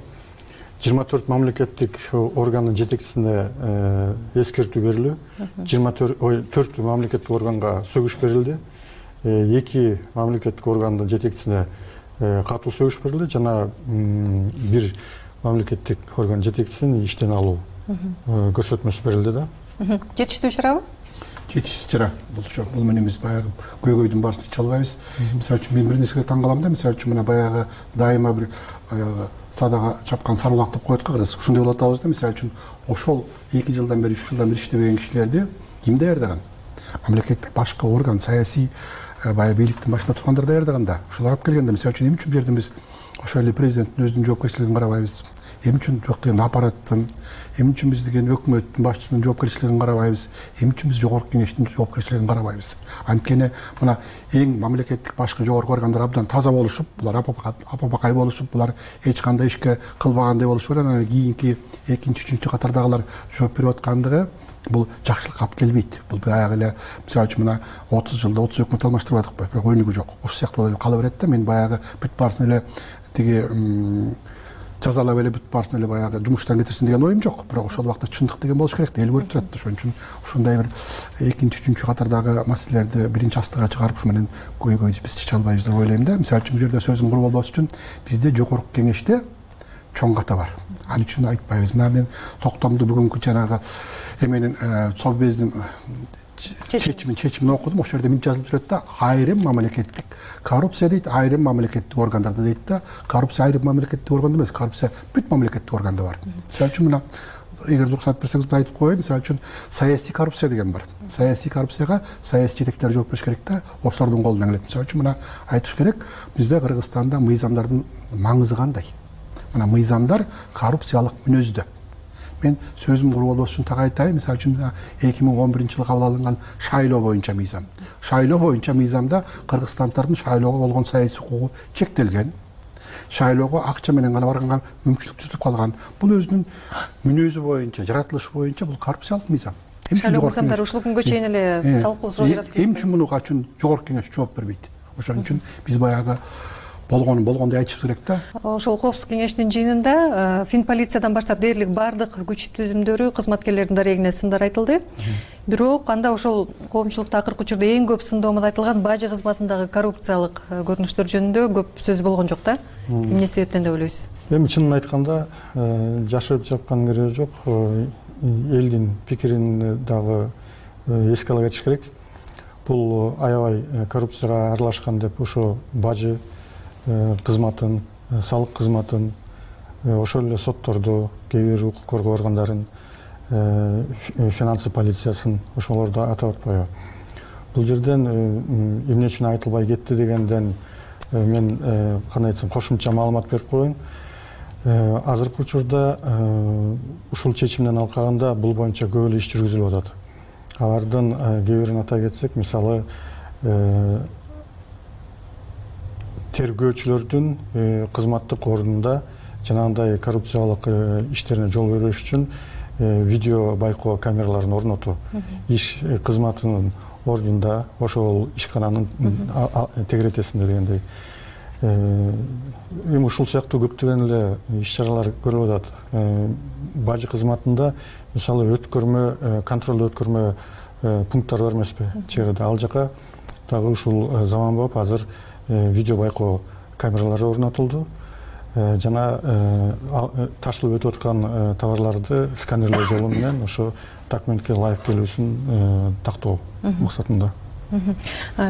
жыйырма төрт мамлекеттик органдын жетекчисине эскертүү берилүү, жыйырма төрт мамлекеттик органга сөгүш берилди, эки мамлекеттик органдын жетекчисине катуу сөгүш берилди, жана бир мамлекеттик орган жетекчисин иштен алуу көрсөтмөсү берилди да. Жетиштүү чарабы? Жетишсиз чара. Бул менен биз баягы көйгөйдүн баарысын иче албайбыз. Мисалы үчүн мен бир нерсеге таң калам да, мисалы үчүн мына баягы дайыма бир баягы садага чапкан сарбулак деп коет го кыргыз. Ушундай болуп атабыз да, мисалы үчүн ошол эки жылдан бери, үч жылдан бери иштебеген кишилерди ким даярдаган? Мамлекеттик башкы орган, саясий баягы бийликтин башында тургандар даярдаган да. Ошолор алып келгенде, мисалы үчүн эмне үчүн бу жерден биз ошол эле президенттин өзүнүн жоопкерчилигин карабайбыз? Эмне үчүн жок деген аппараттын, эмне үчүн биз деген өкмөттүн башчысынын жоопкерчилигин карабайбыз? Эмне үчүн биз жогорку кеңештин жоопкерчилигин карабайбыз? Анткени мына эң мамлекеттик башкы жогорку органдар абдан таза болушуп, булар апапакай болушуп, булар эч кандай ишке кылбагандай болушуп, анан кийинки экинчи, үчүнчү катардагылар жооп берип аткандыгы бул жакшылыкка алып келбейт. Бул баягы эле мисалы үчүн мына отуз жылда отуз өкмөт алмаштырбадыкпы, бирок өнүгүү жок. Ошол сыяктуу болуп кала берет да. Мен баягы бүт баарысын эле тиги жазалап эле бүт баарысын эле баягы жумуштан кетирсин деген оюм жок. Бирок ошол убакта чындык деген болуш керек да, эл көрүп турат. Ошон үчүн ушундай бир экинчи, үчүнчү катардагы маселелерди биринчи астыга чыгарып ушу менен көйгөйдү биз чече албайбыз деп ойлойм да. Мисалы үчүн бул жерде сөзүм кур болбош үчүн бизде жогорку кеңеште чоң ката бар. Ал үчүн айтпайбыз. Мына мен токтомду бүгүнкү жанагы эменин совбездин чечимин чечимин окудум. Ошол жерде эмне жазылып жүрөт да? Айрым мамлекеттик коррупция дейт, айрым мамлекеттик органдарда дейт да. Коррупция айрым мамлекеттик органда эмес, коррупция бүт мамлекеттик органда бар. Мисалы үчүн мына эгер уруксат берсеңиз мен айтып коеюн, мисалы үчүн саясий коррупция деген бар. Саясий коррупцияга саясий жетекчилер жооп бериш керек да, ошолордун колунан келет. Мисалы үчүн мына айтыш керек, бизде Кыргызстанда мыйзамдардын маңызы кандай? Мына мыйзамдар коррупциялык мүнөздө. Мен сөзүм кур болбош үчүн так айтайын. Мисалы үчүн эки миң он биринчи жылы кабыл алынган шайлоо боюнча мыйзам. Шайлоо боюнча мыйзамда кыргызстандардын шайлоого болгон саясий укугу чектелген. Шайлоого акча менен гана барганга мүмкүнчүлүк түзүлүп калган. Бул өзүнүн мүнөзү боюнча, жаратылышы боюнча бул коррупциялык мыйзам. Шайлоо мыйзамдары ушул күнгө чейин эле талкуу суроо жаратып келет. Эмне үчүн муну качан жогорку кеңеш жооп бербейт? Ошон үчүн биз баягы болгонун болгондой айтышыбыз керек да. Ошол коопсуздук кеңешинин жыйынында Финполициядан баштап дээрлик баардык күч түзүмдөрү кызматкерлердин дарегине сындар айтылды. Бирок анда ошол коомчулукта акыркы учурда эң көп сындоомдо айтылган бажы кызматындагы коррупциялык көрүнүштөр жөнүндө көп сөз болгон жок да. Эмне себептен деп ойлойсуз? Эми чынын айтканда жашырып жапкан кереги жок. Элдин пикирин дагы эске ала кетиш керек. Бул аябай коррупцияга аралашкан деп ошо бажы кызматын, салык кызматын, ошол эле сотторду, кээ бир укук коргоо органдарын, финансы полициясын ошолорду атап атпайбы. Бул жерден эмне үчүн айтылбай кетти дегенден мен кандай айтсам кошумча маалымат берип коеюн. Азыркы учурда ушул чечимден алкаганда бул боюнча көп эле иш жүргүзүлүп атат. Алардын кээ бирин атай кетсек, мисалы тергөөчүлөрдүн кызматтык ордунда жанагындай коррупциялык иштерине жол бербеш үчүн видео байкоо камераларын орнотуу, иш кызматынын ордунда ошол ишкананын тегеретесинде дегендей. Эми ушул сыяктуу көптөгөн эле иш-чаралар көрүлүп атат. Бажы кызматында мисалы өткөрмө, контролдо өткөрмө пункттар бар эмеспи? Чек арада ал жака дагы ушул заманбап азыр видео байкоо камералары орнотулду. Жана ташылып өтүп аткан товарларды сканерлөө жолу менен ошо документке ылайык келүүсүн тактоо максатында.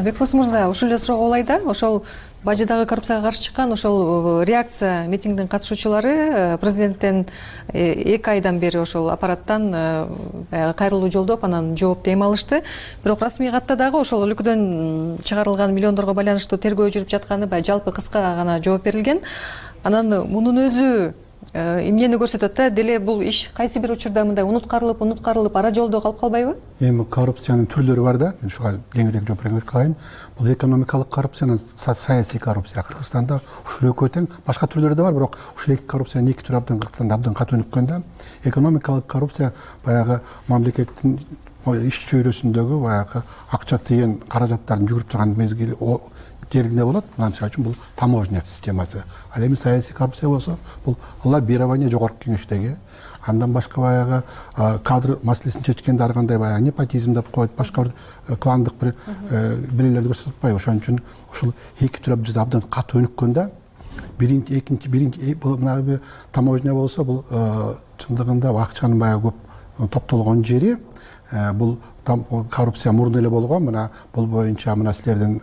Бекбос мырза, ушул эле суроо болой да. Ошол бажыдагы коррупцияга каршы чыккан ошол реакция митингдин катышуучулары президенттен эки айдан бери ошол аппараттан кайрылуу жолдоп, анан жооп эме алышты. Бирок расмий катта дагы ошол өлкөдөн чыгарылган миллиондорго байланыштуу тергөө жүрүп жатканы баягы жалпы кыска гана жооп берилген. Анан мунун өзү эмнени көрсөтөт да? Деле бул иш кайсы бир учурда мындай унуткарылып, унуткарылып ара жолдо калып калбайбы? Эми коррупциянын түрлөрү бар да. Мен ушуга кеңирээк жооп берип калайын. Бул экономикалык коррупция, саясий коррупция. Кыргызстанда ушул экөө тең, башка түрлөрү да бар, бирок ушул эки коррупциянын эки түрү абдан Кыргызстанда абдан катуу өнүккөн да. Экономикалык коррупция баягы мамлекеттин иш чөйрөсүндөгү баягы акча тиген каражаттарын жүгүрүп турган мезгили жеринде болот. Мисалы үчүн бул таможня системасы. Ал эми саясий коррупция болсо, бул лоббирование жогорку кеңештеги, андан башка баягы кадр маселесин чечкенде ар кандай баягы непотизм деп коет, башка бир кландык бир белгилерди көрсөтүп атпайбы. Ошон үчүн ушул эки түр бизде абдан катуу өнүккөн да. Биринчи, экинчи, биринчи мына таможня болсо, бул чындыгында акчанын баягы көп топтолгон жери. Бул коррупция мурда эле болгон. Мына бул боюнча мына силердин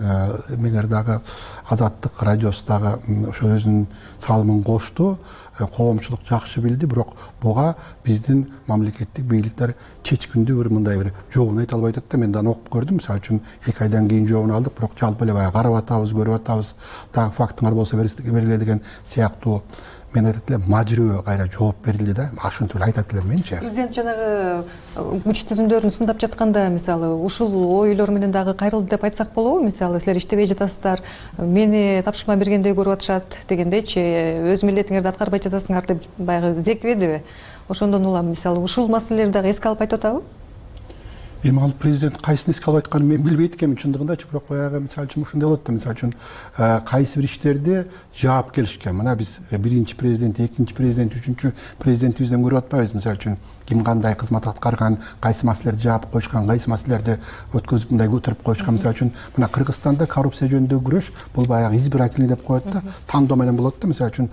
эмеңер дагы Азаттык радиосу дагы ошо өзүнүн салымын кошту. Коомчулук жакшы билди, бирок буга биздин мамлекеттик бийликтер чечкиндүү бир мындай бир жообун айта албай атат да. Мен дагы окуп көрдүм. Мисалы үчүн эки айдан кийин жообун алдык, бирок жалпы эле баягы карап атабыз, көрүп атабыз, дагы фактыңар болсо бергиле деген сыяктуу мен айтат элем мажырөө кайра жооп берилди да. Ошентип эле айтат элем менчи. Президент жанагы күч түзүмдөрүн сындап жатканда, мисалы, ушул ойлор менен дагы кайрылды деп айтсак болобу? Мисалы, силер иштебей жатасыздар, мени тапшырма бергендей көрүп атышат дегендейчи, өз милдетиңерди аткарбай жатасыңар деп баягы зекибедиби? Ошондон улам, мисалы, ушул маселелерди дагы эске алып айтып атабы? Эми ал президент кайсын эске алып айтканын мен билбейт экенмин чындыгындачы, бирок баягы мисалы үчүн ушундай болот да. Мисалы үчүн кайсы бир иштерди жаап келишкен. Мына биз биринчи президент, экинчи президент, үчүнчү президентибизден көрүп атпайбыз. Мисалы үчүн ким кандай кызмат аткарган, кайсы маселелерди жаап коюшкан, кайсы маселелерди өткөзүп мындай көтөрүп коюшкан. Мисалы үчүн мына Кыргызстанда коррупция жөнүндөгү күрөш бул баягы избирательный деп коет да, тандоо менен болот да. Мисалы үчүн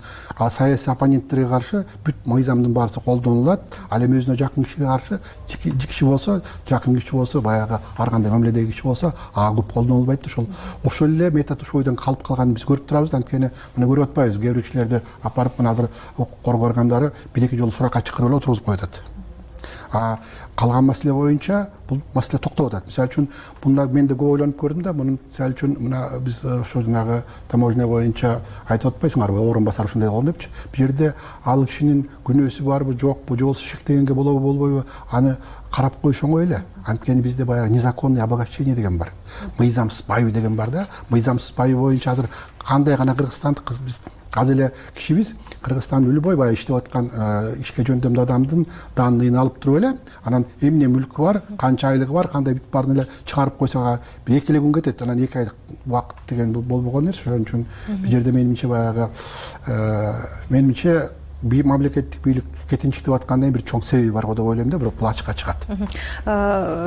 саясий оппоненттерге каршы бүт мыйзамдын баасы колдонулат. Ал эми өзүнө жакын кишиге каршы, киши болсо, жакын киши болсо, баягы ар кандай мамиледеги киши болсо, ага көп колдонулбайт. Ошол ошол эле метод ушул ойдон калып калганын биз көрүп турабыз. Анткени мына көрүп атпайбыз, кээ бир кишилерди апарып мына азыр укук коргоо органдары бир эки жолу суракка чакырып эле отургузуп коюп атат. А калган маселе боюнча бул маселе токтоп атат. Мисалы үчүн мында мен да көп ойлонуп көрдүм да. Мунун мисалы үчүн мына биз ошо жанагы таможня боюнча айтып атпайсыңарбы, орун басар ушундай болгон депчи. Бул жерде ал кишинин күнөөсү барбы, жокпу, же болбосо шектегенге болобу, болбойбу, аны карап коюш оңой эле. Анткени бизде баягы незаконный обогащение деген бар. Мыйзамсыз байуу деген бар да. Мыйзамсыз байуу боюнча азыр кандай гана Кыргызстанды биз азыр эле кишибиз Кыргызстандын любой баягы иштеп аткан ишке жөндөмдүү адамдын данныйын алып туруп эле анан эмне мүлкү бар, канча айлыгы бар, кандай бүт баарын эле чыгарып койсо бир эки эле күн кетет. Анан эки айлык убакыт деген болбогон нерсе. Ошон үчүн бул жерде менимче баягы менимче мамлекеттик бийлик кетинчиктеп аткандын бир чоң себеби бар го деп ойлойм да, бирок бул ачыкка чыгат.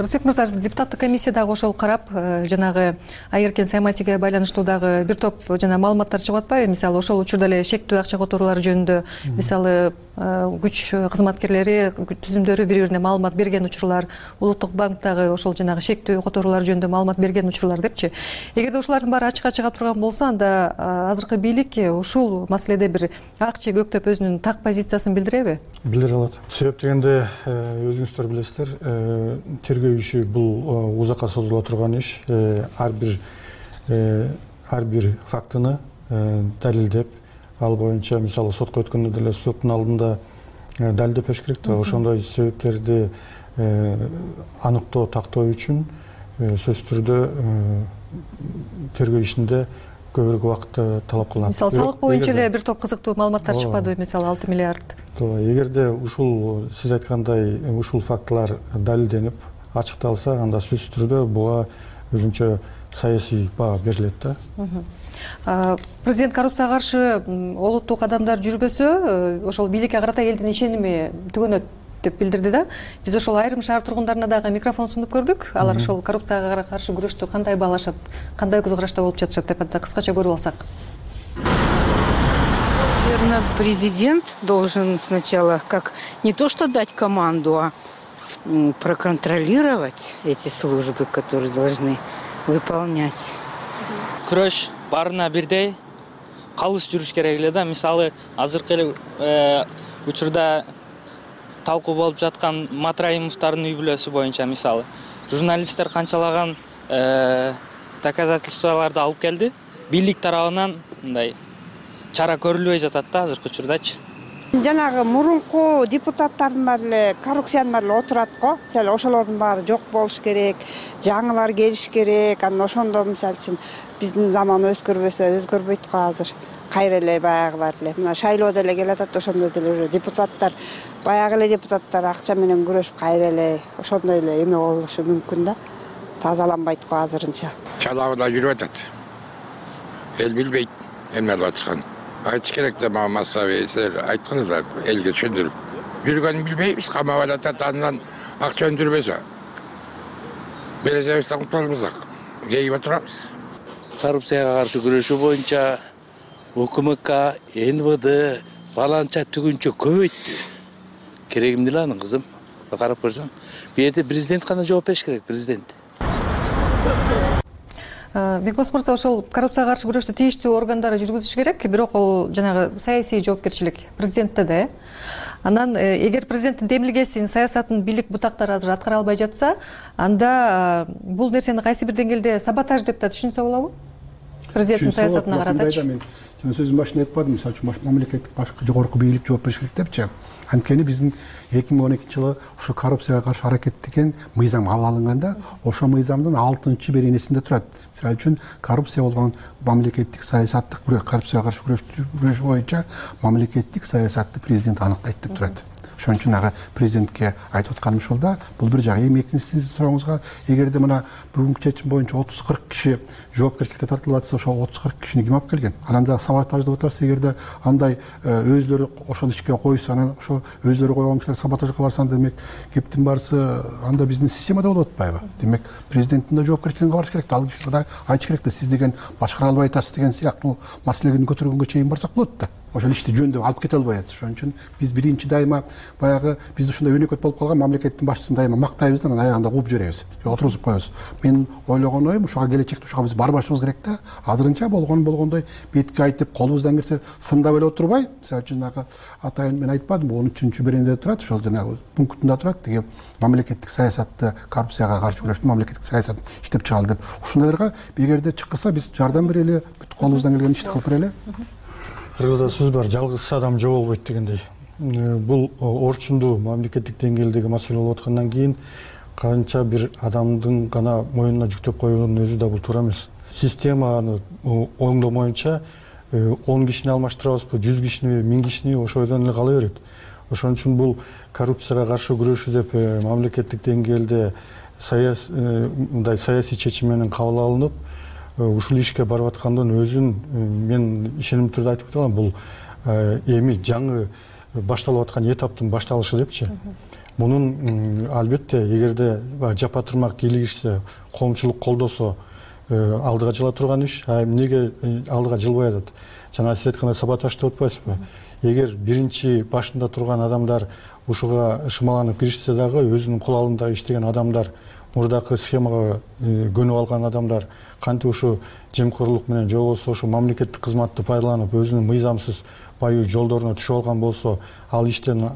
Рысбек мырза, депутаттык комиссия дагы ошол карап, жанагы айыркен Сайматиге байланыштуу дагы бир топ жана маалыматтар чыгып атпайбы? Мисалы ошол учурда эле шектүү акча которуулары жөнүндө, мисалы күч кызматкерлери түзүмдөрү бири-бирине маалымат берген учурлар, Улуттук банктагы ошол жанагы шектүү которуулар жөнүндө маалымат берген учурлар депчи. Эгерде ушулардын баары ачыкка чыга турган болсо, анда азыркы бийлик ушул маселеде бир ак же көк деп өзүнүн так позициясын билдиреби? Билдире алат. Себеп дегенде өзүңүздөр билесиздер, тергөө иши бул узакка созула турган иш. Ар бир ар бир фактыны далилдеп, ал боюнча мисалы сотко өткөндө деле соттун алдында далилдеп бериш керек да. Ошондой себептерди аныктоо, тактоо үчүн сөзсүз түрдө тергөө ишинде көбүрөөк убакыт талап кылынат. Мисалы салык боюнча эле бир топ кызыктуу маалыматтар чыкпадыбы, мисалы алты миллиард. Туура, эгерде ушул сиз айткандай ушул фактылар далилденип, ачыкталса, анда сөзсүз түрдө буга өзүнчө саясий баа берилет да. Президент коррупцияга каршы олуттуу кадамдар жүрбөсө, ошол бийликке карата элдин ишеними түгөнөт деп билдирди да. Биз ошол айрым шаар тургундарына дагы микрофон сунуп көрдүк. Алар ошол коррупцияга каршы күрөштү кандай баалашат, кандай көз карашта болуп жатышат деп кыскача көрүп алсак. Наверное, президент должен сначала как не то что дать команду, а проконтролировать эти службы, которые должны выполнять. Күрөш баарына бирдей калыс жүрүш керек эле да. Мисалы азыркы эле учурда талкуу болуп жаткан Матраимовдордун үй бүлөсү боюнча мисалы журналисттер канчалаган доказательстволорду алып келди. Бийлик тарабынан мындай чара көрүлбөй жатат да азыркы учурдачы. Жанагы мурунку депутаттардын баары эле коррупциянын баары эле отурат го. Мисалы ошолордун баары жок болуш керек, жаңылар келиш керек. Анан ошондо мисалы үчүн биздин заман өзгөрбөсө өзгөрбөйт го азыр. Кайра эле баягылар эле мына шайлоо деле келатат, ошондо деле депутаттар баягы эле депутаттар акча менен күрөшүп кайра эле ошондой эле эме болушу мүмкүн да. Тазаланбайт го азырынча. Чалабыда жүрүп атат. Эл билбейт эмне кылып атканын. Айтыш керек да, мага массабый силер айтканыңыздар, элге түшүндүрүп. Жүргөнүн билбейбиз, камап атат, андан акча өндүрбөсө. Бересебизден кутулабыз, жейип отурабыз. Коррупцияга каршы күрөшүү боюнча УКМК, Н В Д баланча түгүнчө көбөйттү. Керегим деле анын кызым. Карап көрсөң, бул жерде президент гана жооп бериш керек, президент. Бекбос мырза, ошол коррупцияга каршы күрөштү тийиштүү органдары жүргүзүш керек, бирок ал жанагы саясий жоопкерчилик президентте да. Анан эгер президенттин демилгесин, саясатын бийлик бутактары азыр аткара албай жатса, анда бул нерсени кайсы бир деңгээлде саботаж деп да түшүнсө болобу? Президенттин саясатына каратачы. Мен сөзүмдүн башында айтпадым, мисалы үчүн мамлекеттик башкы жогорку бийлик жооп бериш керек депчи. Анткени биздин эки миң он экинчи жылы ушу коррупцияга каршы аракет деген мыйзам кабыл алынганда, ошол мыйзамдын алтынчы беренесинде турат. Мисалы үчүн коррупция болгон мамлекеттик саясаттык коррупцияга каршы күрөш боюнча мамлекеттик саясатты президент аныктайт деп турат. Ошон үчүн ага президентке айтып атканым ушул да. Бул бир жагы. Эми экинчи сиздин сурооңузга, эгерде мына бүгүнкү чечим боюнча отуз кырк киши жоопкерчиликке тартылып атса, ошол отуз кырк кишини ким алып келген? Анан дагы саботаж деп атасыз, эгерде андай өзлөрү ошол ишке койсо, анан ошо өзлөрү койгон кишилер саботажга барса, демек кептин барысы анда биздин системада болуп атпайбы? Демек президенттин да жоопкерчилигин кабарыш керек да, ал кишиге да айтыш керек да, сиз деген башкара албай атасыз деген сыяктуу маселени көтөргөнгө чейин барсак болот да. Ошол ишти жөндөп алып кете албай атабыз. Ошон үчүн биз биринчи дайыма баягы бизде ушундай өнөкөт болуп калган мамлекеттин башчысын дайыма мактайбыз да, анан аягында кууп жиберебиз, отургузуп коебуз. Мен ойлогон оюм, ушуга келечекте ушуга биз барбашыбыз керек да. Азырынча болгон болгондой бетке айтып, колубуздан келсе сындап эле отурбай, мисалы үчүн ага атайын мен айтпадымбы, он үчүнчү беренеде турат, ошол жанагы пунктунда турат, деги мамлекеттик саясатты, коррупцияга каршы күрөштү мамлекеттик саясатын иштеп чыгалы деп. Ушундайларга эгерде чыкса биз жардам берели, бүт колубуздан келген ишти кылып берели. Кыргызда сөз бар, жалгыз адам жоголбойт дегендей. Бул орчундуу мамлекеттик деңгээлдеги маселе болуп аткандан кийин канча бир адамдын гана мойнуна жүктөп коюунун өзү да бул туура эмес. Системаны оңдомоюнча он кишини алмаштырабызбы, жүз кишиниби, миң кишиниби ошойдон эле кала берет. Ошон үчүн бул коррупцияга каршы күрөшүү деп мамлекеттик деңгээлде мындай саясий чечим менен кабыл алынып, ушул ишке барып аткандын өзүн мен ишенимдүү түрдө айтып кете алам. Бул эми жаңы башталып аткан этаптын башталышы депчи. Мунун албетте эгерде жапа турмак илигишсе, коомчулук колдосо алдыга жыла турган иш. А эмнеге алдыга жылбай атат? Жана сиз айткандай саботаж деп атпайсызбы? Эгер биринчи башында турган адамдар ушуга шымаланып киришсе дагы, өзүнүн кулалында иштеген адамдар, мурдакы схемага көнүп алган адамдар кантип ушу жемкорлук менен же болбосо ушу мамлекеттик кызматты пайдаланып өзүнүн мыйзамсыз байуу жолдоруна түшүп алган болсо, ал иштен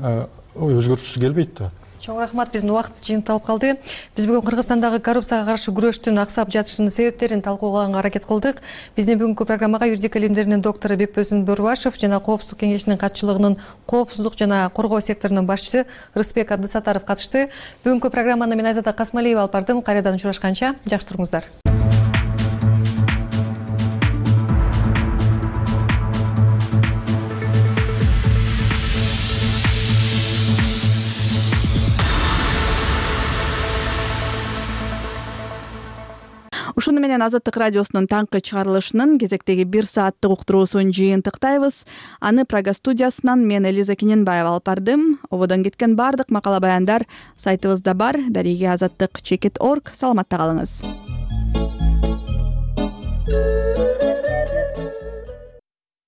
өзгөртүүсү келбейт да. Чоң рахмат, биздин убакыт жыйынталып калды. Биз бүгүн Кыргызстандагы коррупцияга каршы күрөштүн аксап жатышынын себептерин талкуулаганга аракет кылдык. Биздин бүгүнкү программага юридика илимдеринин доктору Бекбөзүн Бөрбашев жана Коопсуздук кеңешинин катчылыгынын коопсуздук жана коргоо секторунун башчысы Рысбек Абдысаттаров катышты. Бүгүнкү программаны мен Айзада Касмалиева алып бардым. Кайрадан учурашканча жакшы туруңуздар. Ушуну менен Азаттык радиосунун таңкы чыгарылышынын кезектеги бир сааттык уктуруусун жыйынтыктайбыз. Аны Прага студиясынан мен Элиза Киненбаева алып бардым. Ободон кеткен бардык макала баяндар сайтыбызда бар. Дариги азаттык чекит точка орг. Саламатта калыңыз.